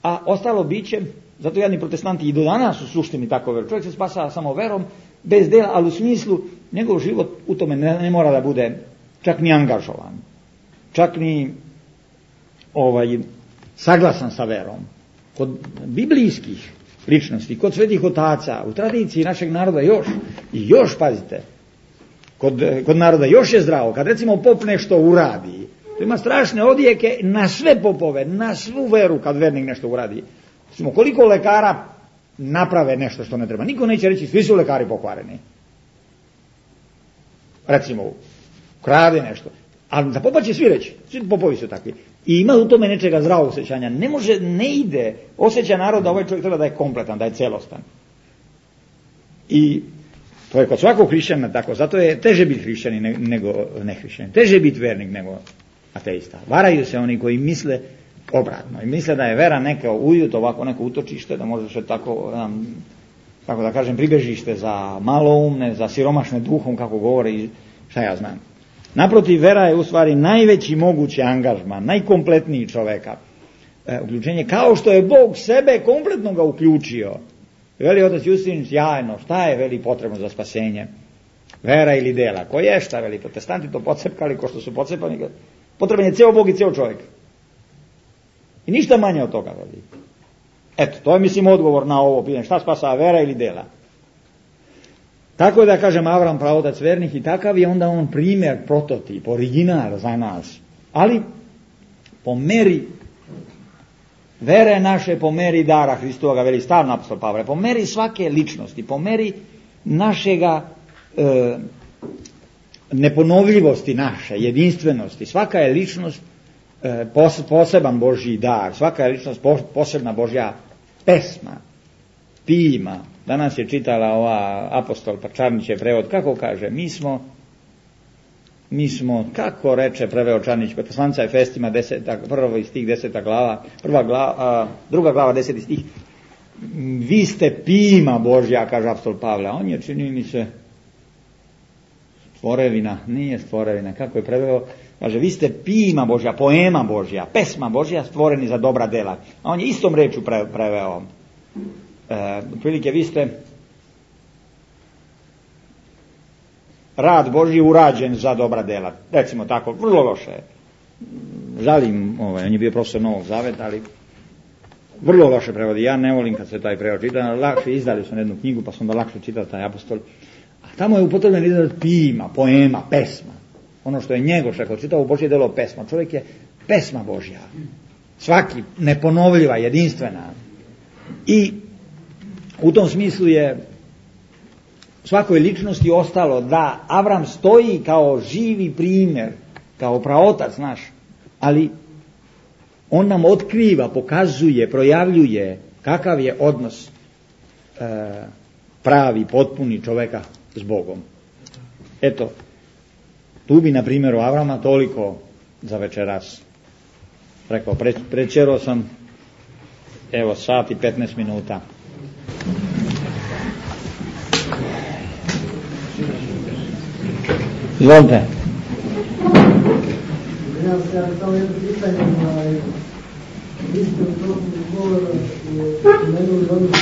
a ostalo biće, zato jadni protestanti i do danas u suštini tako veruju. Čovjek se spasa samo verom, bez dela, ali u smislu njegov život u tome ne mora da bude čak ni angažovan, čak ni saglasan sa verom. Kod biblijskih ličnosti, kod svetih otaca, u tradiciji našeg naroda još pazite, kod naroda još je zdravo, kad recimo pop nešto uradi, to ima strašne odjeke na sve popove, na svu veru kad vernik nešto uradi. Recimo, koliko lekara naprave nešto što ne treba, niko neće reći svi su lekari pokvareni. Recimo, krade nešto, ali za popa će svi reći, svi popovi su takvi. I ima u tome nečega zdravog osjećanja. Ne ide, osjeća narod da ovaj čovjek treba da je kompletan, da je celostan. I to je kod svakog hrišćana tako, zato je teže biti hrišćanin nego nehrišćanin. Teže biti vernik nego ateista. Varaju se oni koji misle obratno i misle da je vera neka ujut, ovako neko utočište, da može se tako da kažem, pribežište za maloumne, za siromašne duhom, kako govore, šta ja znam. Naprotiv, vera je u stvari najveći mogući angažman, najkompletniji čoveka. Uključenje, kao što je Bog sebe kompletno ga uključio. Veli otac Justin, sjajno, šta je veli potrebno za spasenje? Vera ili dela? Ko je šta, veli, protestanti to pocepkali, ko što su pocepani. Potreban je ceo Bog i ceo čovjek. I ništa manje od toga, veli. Eto, to je, mislim, odgovor na ovo pitanje. Šta spasa, vera ili dela? Tako da kažem, Avram pravotac vernih i takav je onda on primjer, prototip, original za nas. Ali po meri vere naše, po meri dara Hristovoga, veli stavno apostol Pavle, po meri svake ličnosti, po meri našega neponovljivosti naše, jedinstvenosti. Svaka je ličnost poseban Božji dar, svaka je ličnost posebna Božja pesma, pima. Danas je čitala ova apostol Čarnićev prevod, kako kaže, mi smo, kako reče preveo Čarnić, poslanica Efestima, prvi stih 10. glava, druga glava 10. stih, vi ste pima Božja, kaže apostol Pavle, on je, čini mi se, stvorevina, nije stvorevina, kako je preveo, kaže, vi ste pima Božja, poema Božja, pesma Božja, stvoreni za dobra dela. A on je istom rečju preveo. Otprilike, vi ste rad Božji urađen za dobra dela. Recimo tako, vrlo loše. Žalim, on je bio profesor Novog Zaveta, ali vrlo loše prevodi. Ja ne volim kad se taj prevod čita, lakše izdali su jednu knjigu, pa sam da lakše čitao taj apostol. A tamo je upotrebljen izraz pima, poema, pesma. Ono što je Njegoš rekao, čitao Božje delo pesma. Čovjek je pesma Božja. Svaki, neponovljiva, jedinstvena. I u tom smislu je svakoj ličnosti ostalo da Avram stoji kao živi primjer, kao praotac naš, ali on nam otkriva, pokazuje, projavljuje kakav je odnos pravi, potpuni čoveka s Bogom. Eto, tu bi na primjeru Avrama toliko za večeras rekao. Prečero sam, evo, sat i 15 minuta. Izvolite. Ja samo jedno pitanje, vi ste u toku govora spomenuli odnos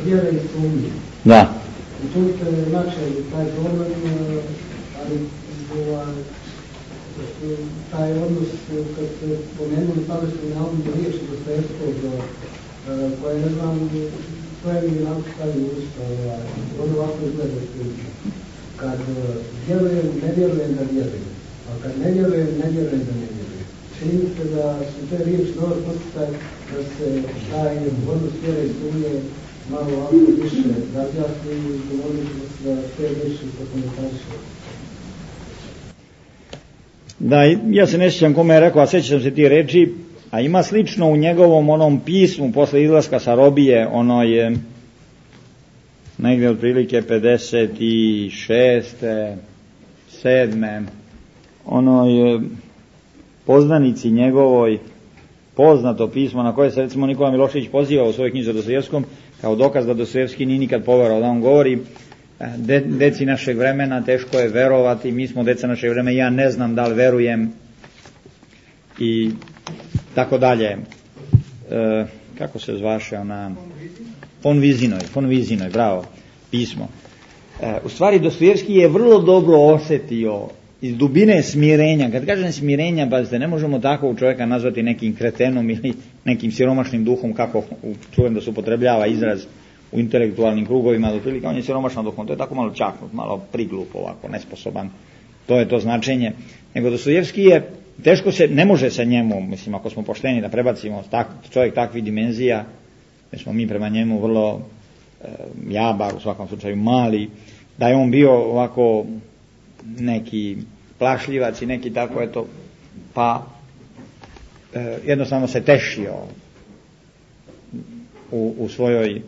vjere i sumnje. Da. I tu ste načeli taj problem, ali taj odnos kad ste spomenuli tada ste navodno riječi Dostojevskog, koje ne znam koje mi je stavili usta, ono ovako izgleda kad vjerujem, ne vjerujem da vjerujem, a kad ne vjerujem, ne vjerujem da ne vjerujem. Čini mi se da su te riječi dobar poticaj da se taj odnos vjere i sumnje malo ovako više razjasni i govorili da te riječi prokomentariše. Da, ja se ne sjećam kome je rekao, a sjećam se ti reči, a ima slično u njegovom onom pismu posle izlaska sa robije, ono je negdje otprilike 56. 7. onoj poznanici njegovoj, poznato pismo na koje se recimo Nikola Milošević poziva u svojoj knjizi o Dostojevskom kao dokaz da Dostojevski nije nikad poverovao, da on govori deci našeg vremena teško je verovati, mi smo deca našeg vremena, ja ne znam da li verujem i tako dalje. Kako se zvaše ona? Von Vizinoj, bravo, pismo. U stvari Dostojevski je vrlo dobro osjetio iz dubine smirenja. Kad kažem smirenja, pazite, ne možemo takvog čovjeka nazvati nekim kretenom ili nekim siromašnim duhom, kako čujem da se upotrebljava izraz u intelektualnim krugovima, otprilike on je siromašan duhom, to je tako malo čaknut, malo priglup ovako, nesposoban, to je to značenje. Nego Dostojevski je, teško se, ne može se njemu, mislim, ako smo pošteni da prebacimo čovjek takvih dimenzija, jer smo mi prema njemu vrlo jabar, u svakom slučaju mali, da je on bio ovako neki plašljivac i neki tako, eto, pa jednostavno se tešio u svojoj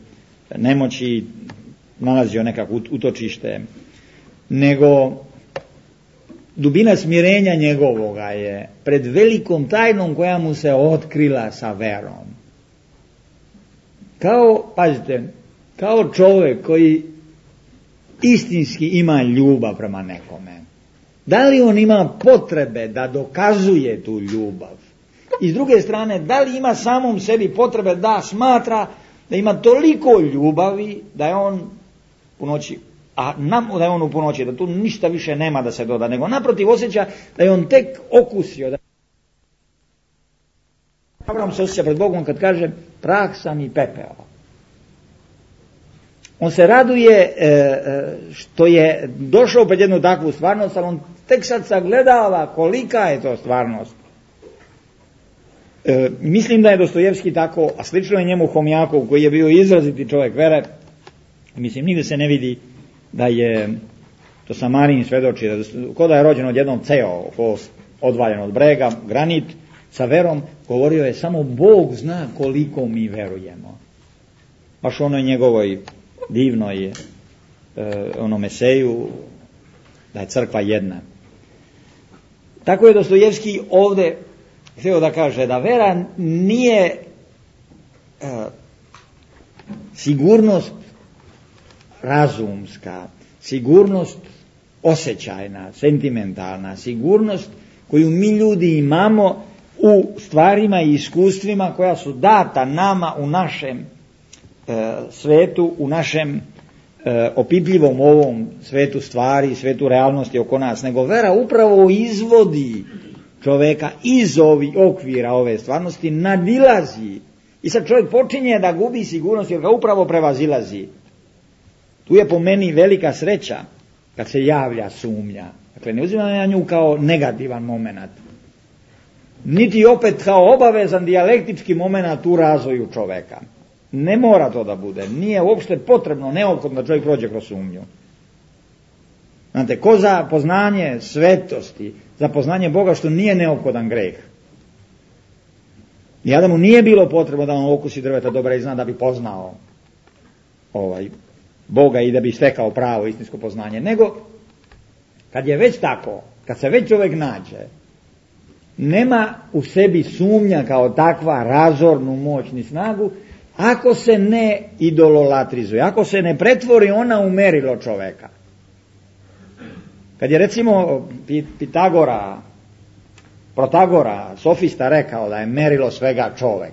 nemoći, nalazio nekako utočište, nego dubina smirenja njegovoga je pred velikom tajnom koja mu se otkrila sa verom. Kao, pazite, kao čovjek koji istinski ima ljubav prema nekome. Da li on ima potrebe da dokazuje tu ljubav? I s druge strane, da li ima samom sebi potrebe da smatra da ima toliko ljubavi da je on u noći, da je on u punoći, da tu ništa više nema da se doda, nego naprotiv osjeća da je on tek okusio. Avram se osjeća pred Bogom kad kaže prah sam i pepeo. On se raduje što je došao pred jednu takvu stvarnost, ali on tek sad sagledava kolika je to stvarnost. Mislim da je Dostojevski tako, a slično je njemu Homjakov koji je bio izraziti čovjek vere. Mislim, nigde se ne vidi da je, to Samarin svedoči, ko da je rođen odjednom ceo, odvaljen od brega, granit, sa verom, govorio je samo Bog zna koliko mi verujemo. Baš onoj njegovoj divnoj onom eseju da je crkva jedna. Tako je Dostojevski ovdje htio da kaže da vera nije sigurnost razumska, sigurnost osjećajna, sentimentalna, sigurnost koju mi ljudi imamo u stvarima i iskustvima koja su data nama u našem svetu, u našem opipljivom ovom svetu stvari, svetu realnosti oko nas, nego vera upravo izvodi čoveka iz ovih okvira ove stvarnosti, nadilazi. I sad čovjek počinje da gubi sigurnost jer ga upravo prevazilazi. Tu je po meni velika sreća kad se javlja sumnja. Dakle, ne uzimam ja nju kao negativan moment, niti opet kao obavezan dijalektički moment u razvoju čoveka. Ne mora to da bude. Nije uopšte potrebno, neophodno da čovjek prođe kroz sumnju. Znate, ko za poznanje svetosti, za poznanje Boga što nije neophodan greh. I Adamu nije bilo potrebno da on okusi drveta dobra i zna da bi poznao Boga i da bi stekao pravo istinsko poznanje. Nego, kad je već tako, kad se već čovjek nađe, nema u sebi sumnja kao takva razornu moć ni snagu, ako se ne idololatrizuje, ako se ne pretvori ona u merilo čoveka. Kad je recimo Protagora, sofista, rekao da je merilo svega čovek,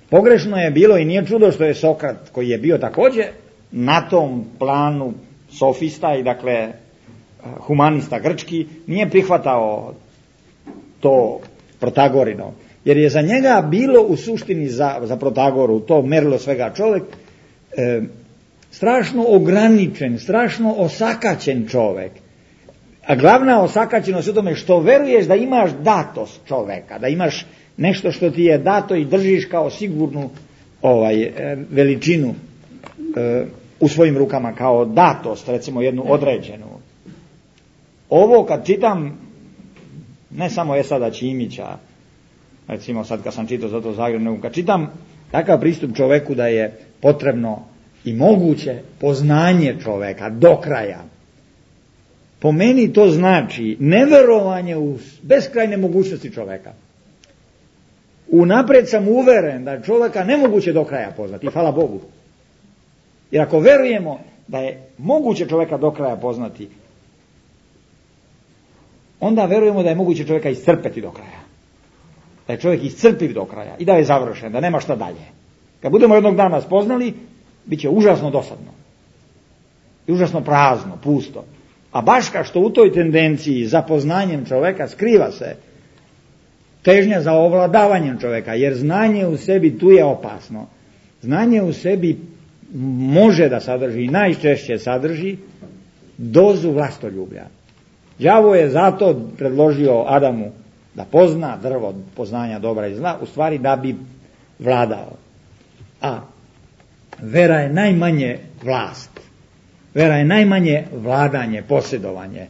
pogrešno je bilo i nije čudo što je Sokrat, koji je bio također na tom planu sofista i dakle humanista grčki, nije prihvatao to Protagorino. Jer je za njega bilo u suštini za Protagoru to merilo svega čovjek strašno ograničen, strašno osakaćen čovjek. A glavna osakaćenost u tome što veruješ da imaš datost čovjeka, da imaš nešto što ti je dato i držiš kao sigurnu veličinu u svojim rukama, kao datost, recimo jednu određenu. Ovo kad čitam, ne samo Esada Ćimića, recimo sad kad sam čitao za to Zagreb, nego kad čitam takav pristup čoveku da je potrebno i moguće poznanje čoveka do kraja. Po meni to znači neverovanje u beskrajne mogućnosti čoveka. Unaprijed sam uveren da je čoveka nemoguće do kraja poznati, hvala Bogu. Jer ako verujemo da je moguće čoveka do kraja poznati, onda verujemo da je moguće čoveka iscrpeti do kraja. Da je čovjek iscrpiv do kraja i da je završen, da nema šta dalje. Kad budemo jednog dana spoznali, bit će užasno dosadno. I užasno prazno, pusto. A baš kao što u toj tendenciji za poznanjem čovjeka skriva se težnja za ovladavanjem čovjeka, jer znanje u sebi tu je opasno. Znanje u sebi može da sadrži i najčešće sadrži dozu vlastoljublja. Đavo je zato predložio Adamu da pozna drvo poznanja dobra i zla, u stvari da bi vladao. A vera je najmanje vlast. Vera je najmanje vladanje, posjedovanje.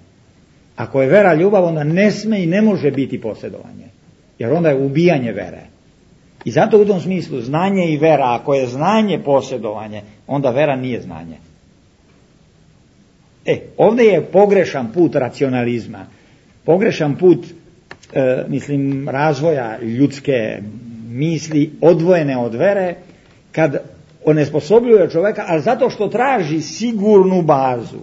Ako je vera ljubav, onda ne sme i ne može biti posjedovanje. Jer onda je ubijanje vere. I zato u tom smislu znanje i vera, ako je znanje posjedovanje, onda vera nije znanje. Ovdje je pogrešan put racionalizma. Pogrešan put razvoja ljudske misli odvojene od vere, kad onesposobljuje čovjeka, ali zato što traži sigurnu bazu,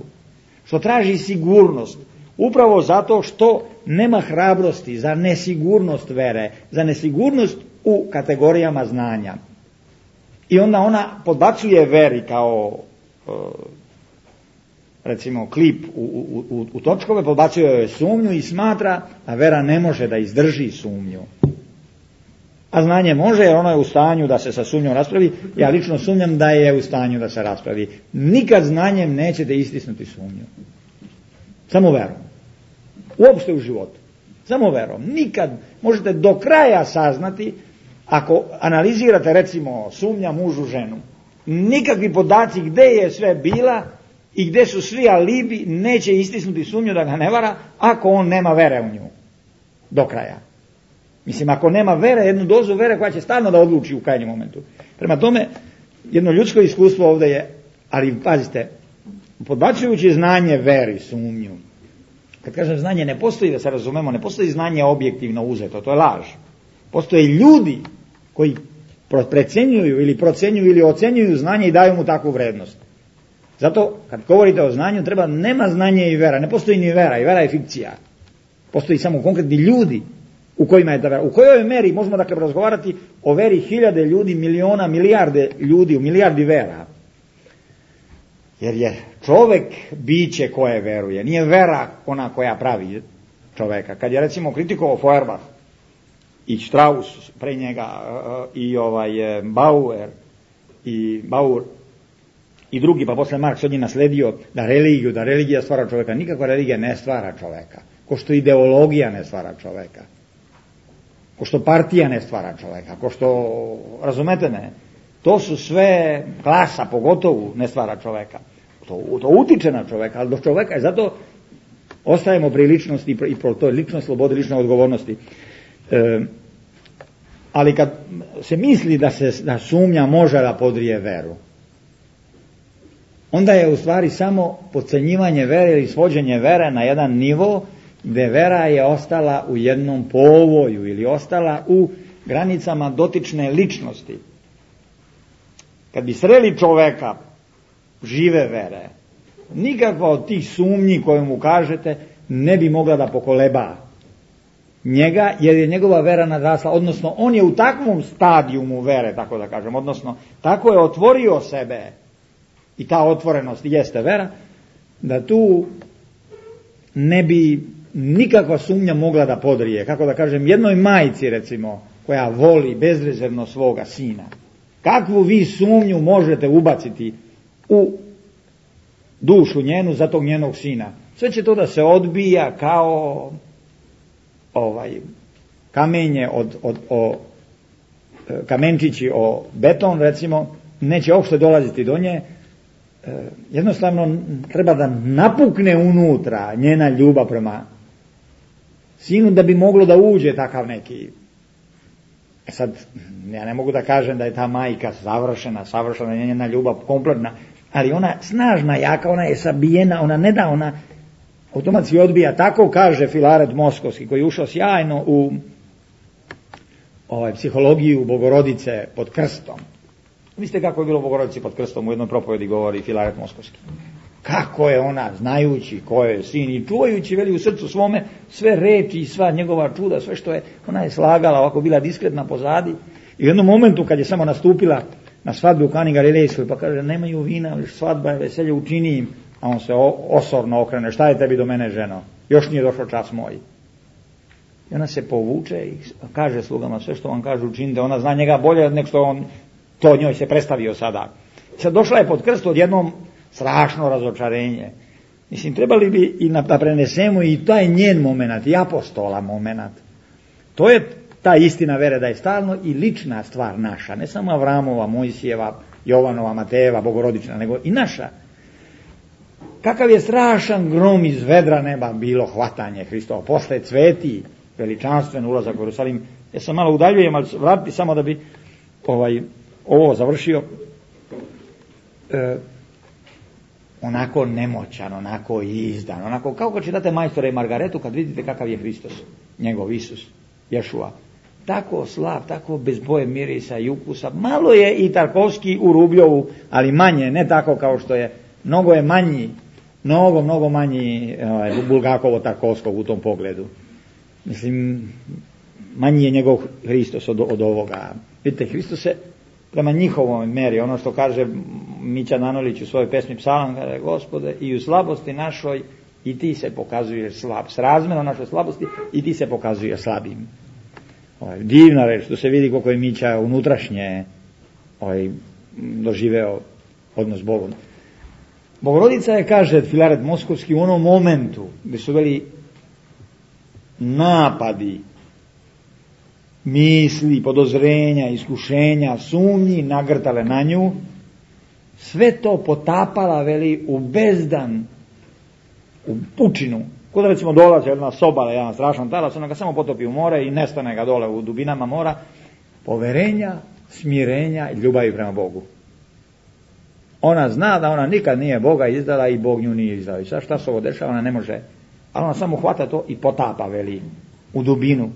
što traži sigurnost, upravo zato što nema hrabrosti za nesigurnost vere, za nesigurnost u kategorijama znanja. I onda ona podbacuje veri kao recimo klip u točkove, podbacuje joj sumnju i smatra da vera ne može da izdrži sumnju. A znanje može, jer ono je u stanju da se sa sumnjom raspravi. Ja lično sumnjam da je u stanju da se raspravi. Nikad znanjem nećete istisnuti sumnju. Samo verom. Uopšte u životu. Samo verom. Nikad možete do kraja saznati, ako analizirate recimo sumnja mužu ženu, nikakvi podaci gde je sve bila i gde su svi alibi neće istisnuti sumnju da ga ne vara, ako on nema vere u nju. Do kraja. Mislim, ako nema vere, jednu dozu vere koja će stalno da odluči u krajnjem momentu. Prema tome, jedno ljudsko iskustvo ovdje je, ali pazite, podbacujući znanje veri, sumnju. Kad kažem znanje, ne postoji, da se razumemo, ne postoji znanje objektivno uzeto, to je laž. Postoje ljudi koji precenjuju ili procenjuju ili ocenjuju znanje i daju mu takvu vrednost. Zato kad govorite o znanju nema znanje i vera, ne postoji ni vera, i vera je fikcija. Postoji samo konkretni ljudi u kojima je ta vera. U kojoj meri možemo dakle razgovarati o veri hiljade ljudi, miliona, milijarde ljudi, u milijardi vera. Jer je čovek biće koje veruje, nije vera ona koja pravi čoveka. Kad je recimo kritikovao Feuerbach i Strauss pre njega i Bauer i drugi, pa posle Marks od njih nasledio da religija stvara čoveka. Nikakva religija ne stvara čoveka, ko što ideologija ne stvara čoveka, ko što partija ne stvara čoveka, ko što, razumete me, to su sve, klasa pogotovo ne stvara čoveka. To utiče na čoveka, ali do čoveka je, zato ostajemo pri ličnosti i pro toj ličnosti, slobodi, lične odgovornosti. Ali kad se misli da sumnja može da podrije veru, onda je u stvari samo podcenjivanje vere ili svođenje vere na jedan nivo gde vera je ostala u jednom povoju ili ostala u granicama dotične ličnosti. Kad bi sreli čoveka žive vere, nikakva od tih sumnji koje mu kažete ne bi mogla da pokoleba njega, jer je njegova vera nadrasla, odnosno on je u takvom stadijumu vere, tako da kažem, odnosno tako je otvorio sebe i ta otvorenost jeste vera, da tu ne bi nikakva sumnja mogla da podrije, kako da kažem, jednoj majci recimo koja voli bezrezervno svoga sina. Kakvu vi sumnju možete ubaciti u dušu njenu za tog njenog sina? Sve će to da se odbija kao kamenje kamenčići o beton, recimo, neće uopšte dolaziti do nje. Jednostavno treba da napukne unutra njena ljubav prema sinu da bi moglo da uđe takav neki. Sad, ja ne mogu da kažem da je ta majka savršena, njena ljubav kompletna, ali ona snažna, jaka, ona je sabijena, ona ne da, ona automatski odbija. Tako kaže Filaret Moskovski, koji je ušao sjajno u psihologiju Bogorodice pod krstom. Mislite kako je bilo Bogorodici pod krstom, u jednoj propovedi govori Filaret Moskovski. Kako je ona, znajući ko je sin i čuvajući, veli, u srcu svome sve reči i sva njegova čuda, sve što je, ona je slagala, ovako bila diskretna pozadi. I u jednom momentu kad je samo nastupila na svadbi u Kani Galilejskoj, pa kaže, nemaju vina, svadba je, veselje, učini im. A on se osorno okrene, šta je tebi do mene, ženo? Još nije došao čas moj. I ona se povuče i kaže slugama, sve što on kaže učinite, ona zna njega bolje nego što on to njoj se predstavio sada. Sad došla je pod krst odjednom strašno razočarenje. Mislim, trebali bi i da prenesemo i taj njen moment, i apostola moment. To je ta istina vere, da je stalno i lična stvar naša, ne samo Avramova, Mojsijeva, Jovanova, Matejeva, Bogorodična, nego i naša. Kakav je strašan grom iz vedra neba bilo hvatanje Hristova, posle cveti, veličanstven ulazak u Jerusalim. Ja sam malo udaljujem, ali vratiti samo da bi ovo završio. Onako nemoćan, onako izdan, onako kao kad čitate Majstora i Margaretu, kad vidite kakav je Hristos, njegov Isus, Ješua. Tako slab, tako bez boje, mirisa i ukusa. Malo je i Tarkovski u Rubljovu, ali manje, ne tako kao što je. Mnogo je manji, mnogo manji Bulgakovo-Tarkovskog u tom pogledu. Mislim, manji je njegov Hristos od ovoga. Vidite, Hristos se prema njihovoj meri, ono što kaže Mića Nanolić u svojoj pesmi Psalam, kaže, Gospode, i u slabosti našoj i ti se pokazuješ slab. S razmjerom našoj slabosti i ti se pokazuješ slabim. Divna reč, što se vidi koliko je Mića unutrašnje doživeo odnos s Bogom. Bogorodica je, kaže Filaret Moskovski, u onom momentu gdje su bili napadi, misli, podozrenja, iskušenja, sumnji nagrtale na nju, sve to potapala, veli, u bezdan, u pučinu. Kod recimo dolazi jedna sobala, jedan strašan talas, ona ga samo potopi u more i nestane ga dole u dubinama mora, poverenja, smirenja i ljubavi prema Bogu. Ona zna da ona nikad nije Boga izdala i Bog nju nije izdao. I sad šta se ovo dešava, ona ne može. Ali ona samo hvata to i potapa, veli, u dubinu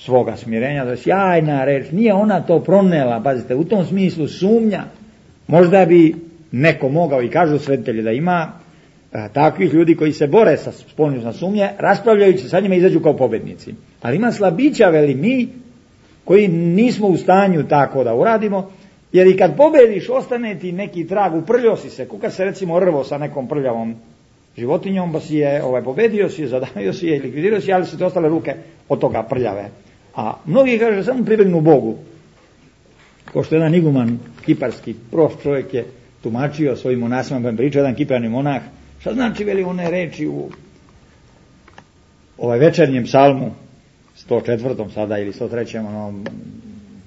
svoga smirenja, to je sjajna reč, nije ona to pronela, pazite, u tom smislu sumnja, možda bi neko mogao, i kažu svetitelji da ima takvih ljudi koji se bore sa spoljnom sumnje, raspravljajući sa njima izađu kao pobednici. Ali ima slabića, veli mi, koji nismo u stanju tako da uradimo, jer i kad pobediš, ostane ti neki trag, uprljio si se, kuka se recimo rvo sa nekom prljavom životinjom, pa si je pobedio si je, zadavio si je i likvidirao si je, ali su te ostale ruke od toga prljave. A mnogi kaže samo pribegnu Bogu. Ko što jedan iguman kiparski prost čovjek je tumačio svojim monasima, pa pričao jedan kiparni monah, šta znači veli one reči u večernjem psalmu 104. sada ili 103.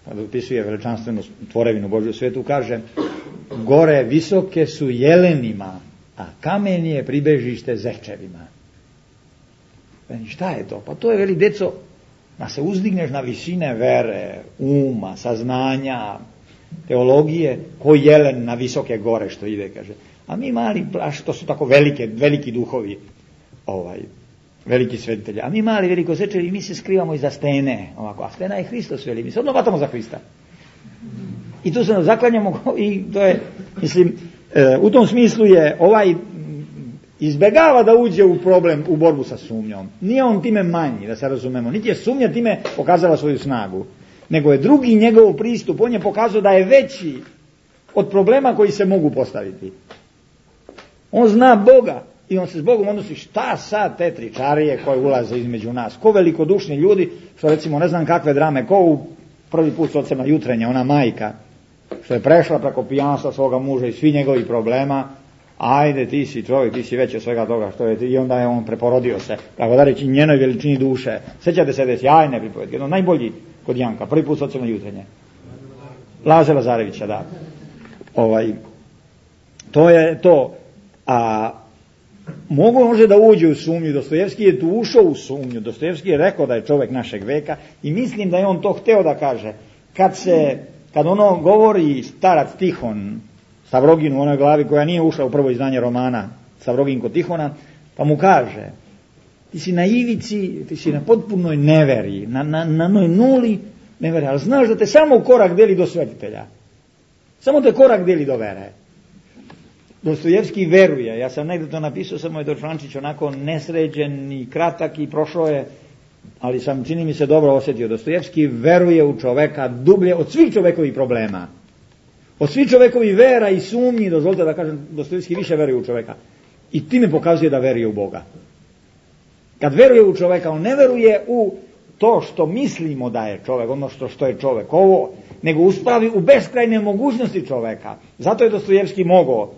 kada upisuje veličanstvenu tvorevinu Božju svijetu, kaže: gore visoke su jelenima, a kamen je pribežište zečevima. Šta je to? Pa to je, veli, deco, da se uzdigneš na visine vere, uma, saznanja, teologije, ko jelen na visoke gore što ide, kaže. A mi mali, to su tako veliki duhovi, veliki svetitelji. A mi mali velikosečevi, mi se skrivamo iza stene, ovako, a stena je Hristos, veli, mi se odmah vatamo za Hrista. I tu se zaklanjamo i to je, mislim, u tom smislu je izbegava da uđe u problem, u borbu sa sumnjom. Nije on time manji, da se razumemo, niti je sumnja time pokazala svoju snagu, nego je drugi njegov pristup, on je pokazao da je veći od problema koji se mogu postaviti. On zna Boga i on se s Bogom odnosi, šta sad te tričarije koje ulaze između nas, ko velikodušni ljudi, što recimo ne znam kakve drame, ko u prvi put s ocem na jutrenje, ona majka, što je prešla preko pijanstva svoga muža i svi njegovi problema, ajde ti si čovjek, ti si veći od svega toga što je, i onda je on preporodio se, tako da reći njenoj veličini duše. Sjećate se da je sjajne pripovedke, jedno najbolji kod Janka, prvi put s ocem na jutrenje. Laze Lazarevića, da. To je to. A može da uđe u sumnju, Dostojevski je tu ušao u sumnju, Dostojevski je rekao da je čovjek našeg veka i mislim da je on to hteo da kaže. Kad ono govori starac Tihon Stavroginu u onoj glavi koja nije ušla u prvo izdanje romana Stavrogin kod Tihona, pa mu kaže: ti si na ivici, ti si na potpunoj neveri, na onoj nuli neveri, ali znaš da te samo korak deli do svetitelja, samo te korak deli do vere. Dostojevski veruje, ja sam negdje to napisao, samo je to člančić onako nesređen i kratak i prošlo je, ali sam, čini mi se, dobro osjetio. Dostojevski veruje u čoveka dublje od svih čovekovih problema, od svih čovekovih vera i sumnji, dozvolite da kažem, Dostojevski više veruje u čoveka i time pokazuje da veruje u Boga. Kad veruje u čoveka, on ne veruje u to što mislimo da je čovek, ono što je čovek, nego uspravi u beskrajne mogućnosti čoveka. Zato je Dostojevski mogao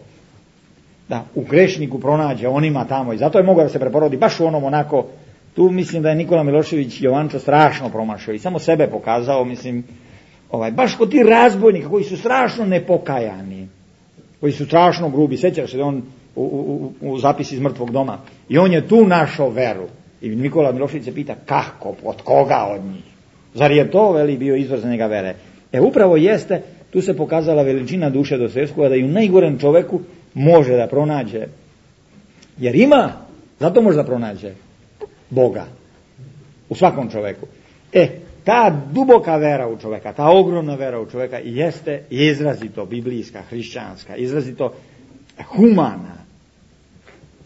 da u grešniku pronađe onima tamo i zato je mogao da se preporodi baš u onom onako. Tu mislim da je Nikola Milošević Jovančo strašno promašao i samo sebe pokazao, mislim, baš kod ti razbojnika koji su strašno nepokajani, koji su strašno grubi. Sjećaš se da on u zapisi iz mrtvog doma i on je tu našao veru i Nikola Milošević se pita kako, od koga od njih, zar je to, veli, bio izvor za njega vere. Upravo jeste, tu se pokazala veličina duše Dostojevskog, da i u najgorem čoveku može da pronađe, jer ima, zato može da pronađe Boga u svakom čoveku. Ta duboka vera u čoveka, ta ogromna vera u čoveka jeste izrazito biblijska, hrišćanska, izrazito humana.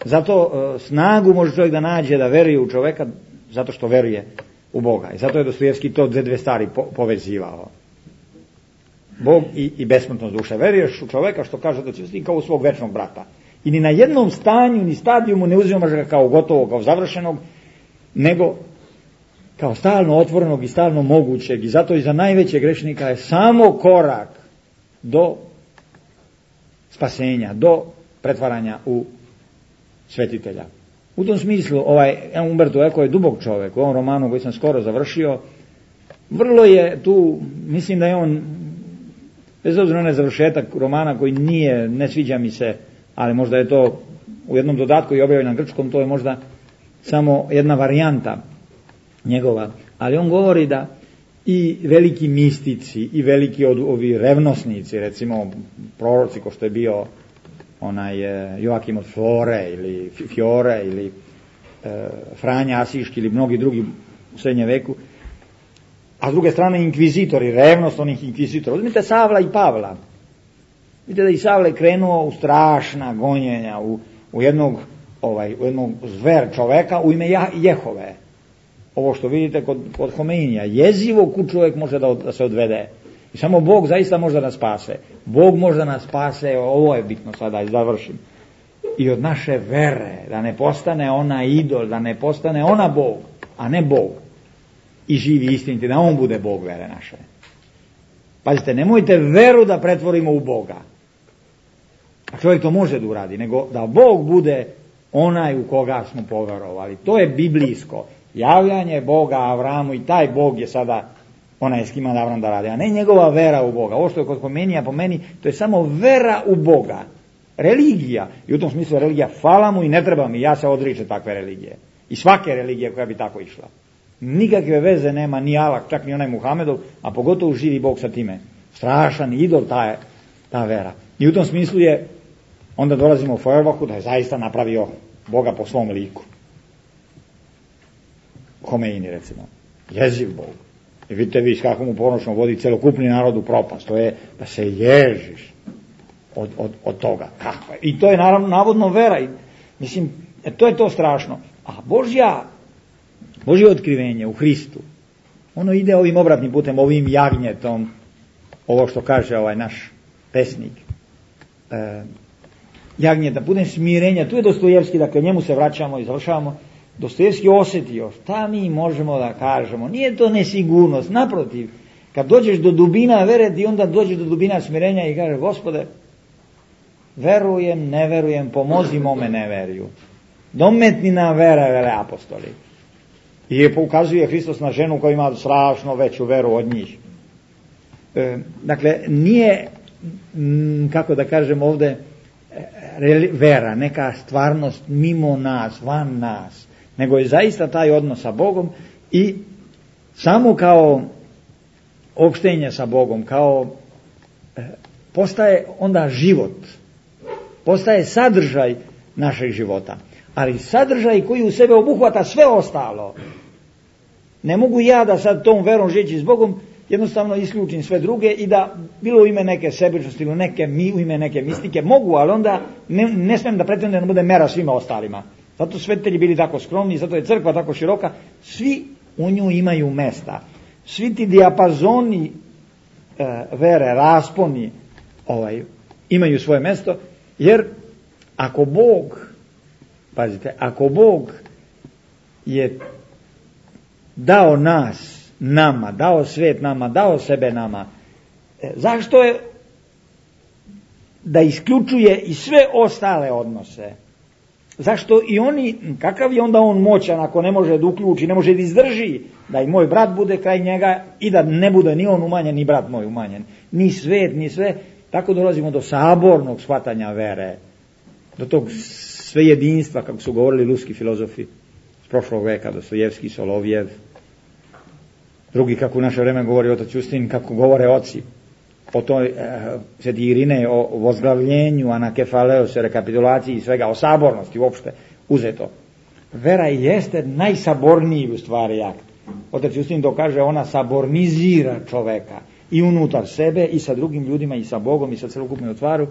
Zato snagu može čovjek da nađe da veruje u čoveka, zato što veruje u Boga. I zato je Dostojevski to dve stvari povezivao. Bog i besmrtnost duše. Veruješ u čoveka što kaže da će biti kao u svog večnog brata. I ni na jednom stanju, ni stadijumu ne uzimaš ga kao gotovog, kao završenog, nego kao stalno otvorenog i stalno mogućeg. I zato i za najvećeg grešnika je samo korak do spasenja, do pretvaranja u svetitelja. U tom smislu, Umberto Eco je dubok čovjek. U ovom romanu koji sam skoro završio, vrlo je tu, mislim da je on, bez obzira na završetak romana koji ne sviđa mi se, ali možda je to u jednom dodatku i objavljen na grčkom, to je možda samo jedna varijanta njegova, ali on govori da i veliki mistici i veliki ovi revnosnici, recimo proroci ko što je bio Joakim od Fiore ili Franja Asiški ili mnogi drugi u srednjem veku, A s druge strane inkvizitori, revnost onih inkvizitora. Uzmite Savla i Pavla. Vidite da i Savle krenuo u strašna gonjenja, u jednog zver čoveka u ime Jehove. Ovo što vidite kod Homeinija, jezivo kud čovjek može da se odvede. I samo Bog zaista može da nas spase. Bog može da nas spase, ovo je bitno sada, da završim. I od naše vere, da ne postane ona idol, da ne postane ona Bog, a ne Bog. I živi istiniti, da on bude Bog vere naše. Pazite, nemojte veru da pretvorimo u Boga. A čovjek to može da uradi, nego da Bog bude onaj u koga smo poverovali. To je biblijsko. Javljanje Boga Avramu i taj Bog je sada onaj s kima Avram da radi, a ne njegova vera u Boga. Ovo što je kod Homeinija po meni, to je samo vera u Boga. Religija. I u tom smislu religija fala mu i ne treba mi, ja se odričem takve religije. I svake religije koja bi tako išla. Nikakve veze nema ni Allah, čak ni onaj Muhamedov, a pogotovo živi Bog sa time. Strašan idol ta vera. I u tom smislu je, onda dolazimo u Feuerbachu da je zaista napravio Boga po svom liku. Homeini recimo. Jeziv Bog. I vidite vi s kakvom mu ponošno vodi celokupni narod u propast. To je da se ježiš od toga. Kako je? I to je naravno navodno vera. Mislim, to je to strašno. A Božje otkrivenje u Hristu, ono ide ovim obratnim putem, ovim jagnjetom, ovo što kaže ovaj naš pesnik. Jagnjeta, putem smirenja, tu je Dostojevski, dakle njemu se vraćamo i završavamo. Dostojevski osjetio, šta mi možemo da kažemo, nije to nesigurnost, naprotiv, kad dođeš do dubina vere, ti onda dođeš do dubina smirenja i kaže, Gospode, verujem, ne verujem, pomozi mome neveriju. Dometni nam vera, vele apostoli. I ukazuje Hristos na ženu koja ima strašno veću veru od njih. Dakle, nije, kako da kažem ovde, vera, neka stvarnost mimo nas, van nas, nego je zaista taj odnos sa Bogom i samo kao opštenje sa Bogom, kao postaje onda život, postaje sadržaj našeg života, ali sadržaj koji u sebe obuhvata sve ostalo. Ne mogu ja da sad tom verom živeći s Bogom jednostavno isključim sve druge i da bilo u ime neke sebičnosti ili u ime neke mistike mogu, ali onda ne smijem da pretendem da bude mera svima ostalima. Zato svetitelji bili tako skromni, zato je crkva tako široka, svi u nju imaju mesta. Svi ti dijapazoni vere, rasponi imaju svoje mesto, jer ako Bog, pazite, ako Bog je dao nas nama, dao svet nama, dao sebe nama, zašto je da isključuje i sve ostale odnose? Zašto i oni, kakav je onda on moćan ako ne može da uključi, ne može da izdrži da i moj brat bude kraj njega i da ne bude ni on umanjen, ni brat moj umanjen, ni svet, ni sve. Tako dolazimo do sabornog shvatanja vere, do tog svejedinstva, kako su govorili ruski filozofi s prošlog veka, Dostojevski, Solovjev, drugi, kako u naše vreme govori otac Justin, kako govore oci o toj sveti Irinej, o vozglavljenju, anakefaleose, rekapitulaciji i svega, o sabornosti uopšte uzeto. Vera jeste najsaborniji u stvari akt. Otac Justin to kaže, ona sabornizira čoveka i unutar sebe i sa drugim ljudima i sa Bogom i sa celokupnom stvaru.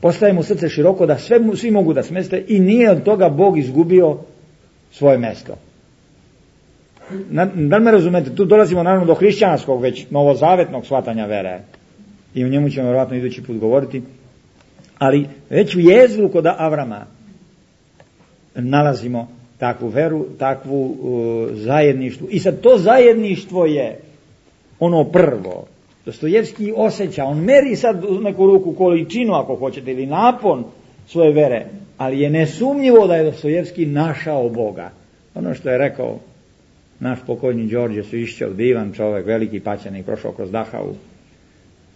Postaje mu srce široko da svi mogu da smeste i nije od toga Bog izgubio svoje mesto. Da li me razumete? Tu dolazimo naravno do hrišćanskog, već novozavetnog shvatanja vere. I o njemu ćemo vjerojatno idući put govoriti. Ali već u jezgru kod Avrama nalazimo takvu veru, takvu zajedništvu. I sad to zajedništvo je ono prvo. Dostojevski osjeća, on meri sad u neku ruku količinu, ako hoćete, ili napon svoje vere, ali je nesumnjivo da je Dostojevski našao Boga. Ono što je rekao naš pokojni Đorđe Svišćev, divan čovjek, veliki paćenik, prošao kroz Dachau,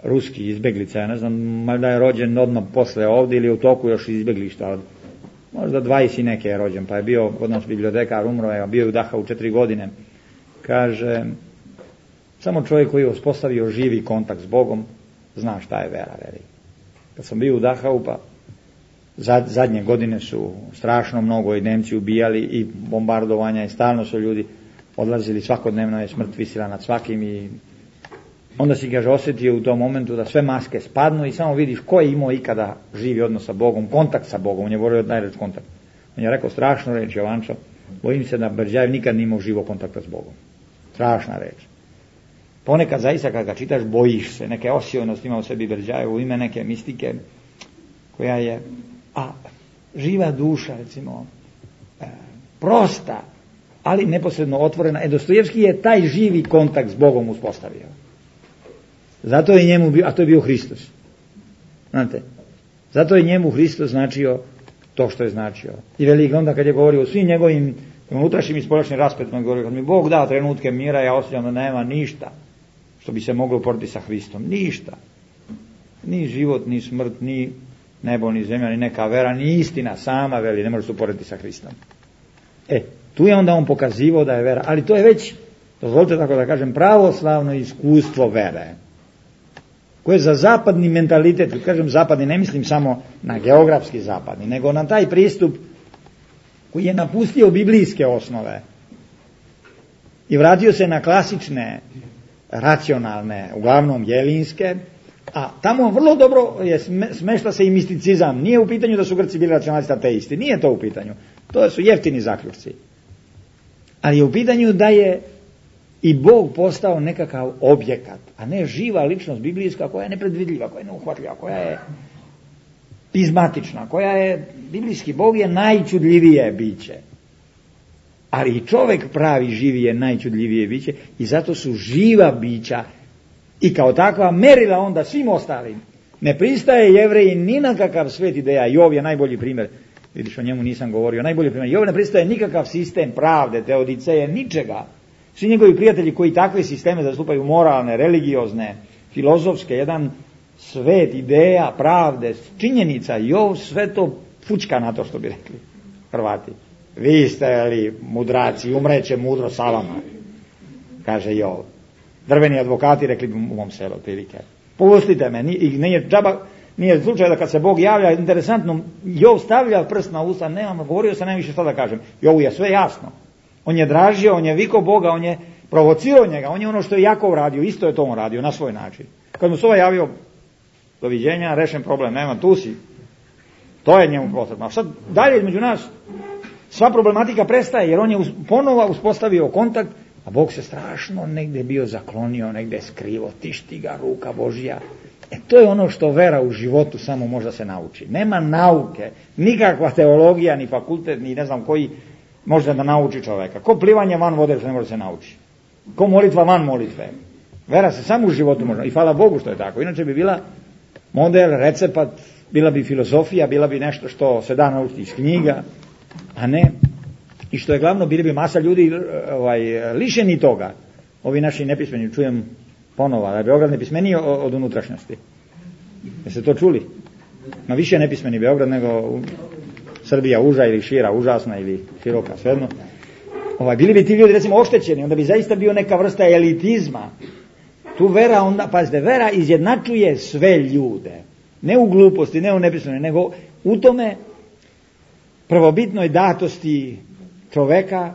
ruski izbeglica, ja ne znam, da je rođen odmah posle ovdje ili u toku još izbeglišta, možda 20 i neke je rođen, pa je bio kod nas bibliotekar, umro je, bio je u Dachau 4 godine. Kaže, samo čovjek koji je uspostavio živi kontakt s Bogom zna šta je vera, veri. Kad sam bio u Dachau, pa zadnje godine su strašno mnogo i Nemci ubijali i bombardovanja i stalno su ljudi, odlazili, svakodnevno je smrt visila nad svakim i onda si, kaže, osjetio u tom momentu da sve maske spadnu i samo vidiš ko je imao ikada živi odnos sa Bogom, kontakt sa Bogom. On je volio najreč kontakt. On je rekao strašnu reč, Jovančo, bojim se da Berđajev nikad nije imao živog kontakta s Bogom. Strašna reč. Ponekad zaista kad ga čitaš bojiš se, neke osjeojnosti ima u sebi Berđajev u ime neke mistike koja je živa duša, recimo, prosta, ali neposredno otvorena. Dostojevski je taj živi kontakt s Bogom uspostavio. Zato je njemu bio, a to je bio Hristos. Znate, zato je njemu Hristos značio to što je značio. I velik onda kad je govorio o svim njegovim unutrašnjim i spoljašnjim raspetima, govorio kad mi Bog da trenutke mira, ja osjećam da nema ništa što bi se moglo porediti sa Hristom. Ništa. Ni život, ni smrt, ni nebo, ni zemlja, ni neka vera, ni istina sama, veli, ne može se uporediti sa Hristom. Tu je onda on pokazivao da je vera, ali to je već, dozvolite tako da kažem, pravoslavno iskustvo vere, koje za zapadni mentalitet, kad kažem zapadni, ne mislim samo na geografski zapadni, nego na taj pristup koji je napustio biblijske osnove i vratio se na klasične, racionalne, uglavnom jelinske, a tamo vrlo dobro smešta se i misticizam. Nije u pitanju da su Grci bili racionalisti ateisti, nije to u pitanju. To su jeftini zaključci. Ali je u pitanju da je i Bog postao nekakav objekat, a ne živa ličnost biblijska koja je nepredvidljiva, koja je neuhvatljiva, koja je pizmatična, koja je, biblijski Bog je najčudljivije biće. Ali i čovjek pravi živi je najčudljivije biće i zato su živa bića i kao takva merila onda svim ostalim. Ne pristaje Jevreji ni na kakav svet ideja. Jov je najbolji primjer. Vidiš, o njemu nisam govorio. Najbolji primjer. Jov ne pristaje nikakav sistem pravde, teodiceje, ničega. Svi njegovi prijatelji koji takve sisteme zastupaju, moralne, religiozne, filozofske, jedan svet ideja, pravde, činjenica, Jov sve to fučka na to, što bi rekli Hrvati. Vi ste li mudraci, umreće mudro sa vama, kaže Jov. Drveni advokati rekli bi u mom selu, prilike. Pustite me, i nije slučaj da kad se Bog javlja, interesantno, Jov stavlja prst na usta, govorio sam najviše šta da kažem. Jovu je sve jasno. On je dražio, on je vikao Boga, on je provocirao njega, on je ono što je Jakov radio, isto je to on radio, na svoj način. Kad mu se ovaj javio, doviđenja, rešen problem, nema, tu si. To je njemu potrebno. A sad dalje između nas, sva problematika prestaje, jer on je ponovo uspostavio kontakt, a Bog se strašno negdje bio zaklonio, negdje skrivo, tišti ga ruka Božja. To je ono što vera u životu samo može se nauči. Nema nauke, nikakva teologija, ni fakultet, ni ne znam koji može da nauči čovjeka. Ko plivanje van vode se ne može se nauči. Ko molitva van molitve. Vera se samo u životu može. I hvala Bogu što je tako. Inače bi bila model, recept, bila bi filozofija, bila bi nešto što se da naučiti iz knjiga, a ne. I što je glavno, bili bi masa ljudi lišeni toga. Ovi naši nepismeni, čujem ponovo, da je Beograd nepismeniji od unutrašnjosti. Jeste to čuli? Ma više nepismeni Beograd nego Srbija uža ili šira, užasna ili široka, svejedno. Bili bi ti ljudi recimo oštećeni, onda bi zaista bio neka vrsta elitizma. Tu vera onda, pazite, vera izjednačuje sve ljude. Ne u gluposti, ne u nepismeni, nego u tome prvobitnoj datosti čoveka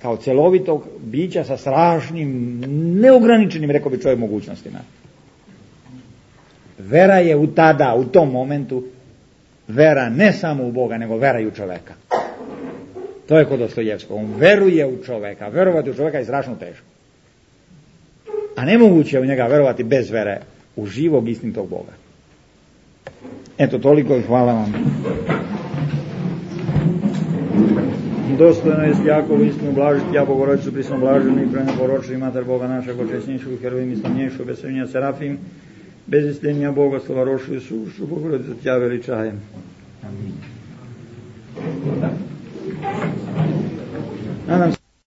kao celovitog bića sa strašnim, neograničenim, rekao bi čovjek, mogućnostima. Vera je u tada, u tom momentu, vera ne samo u Boga, nego vera i u čoveka. To je kod Dostojevskog. On veruje u čoveka. Verovati u čoveka je strašno teško. A nemoguće je u njega verovati bez vere u živog istinitog Boga. Eto, toliko i hvala vam. Dostojno jest Jakovu istinu blažiti, ja Bogorodicu prisno blaženu i preneporočili mater Boga našeg očesnjejšu, herojim i slavnjejšu, bez srnja serafim, bez istenja Bogoslova rošu i sušu, Bogorodicu tja veličajem. Amin. Nadam se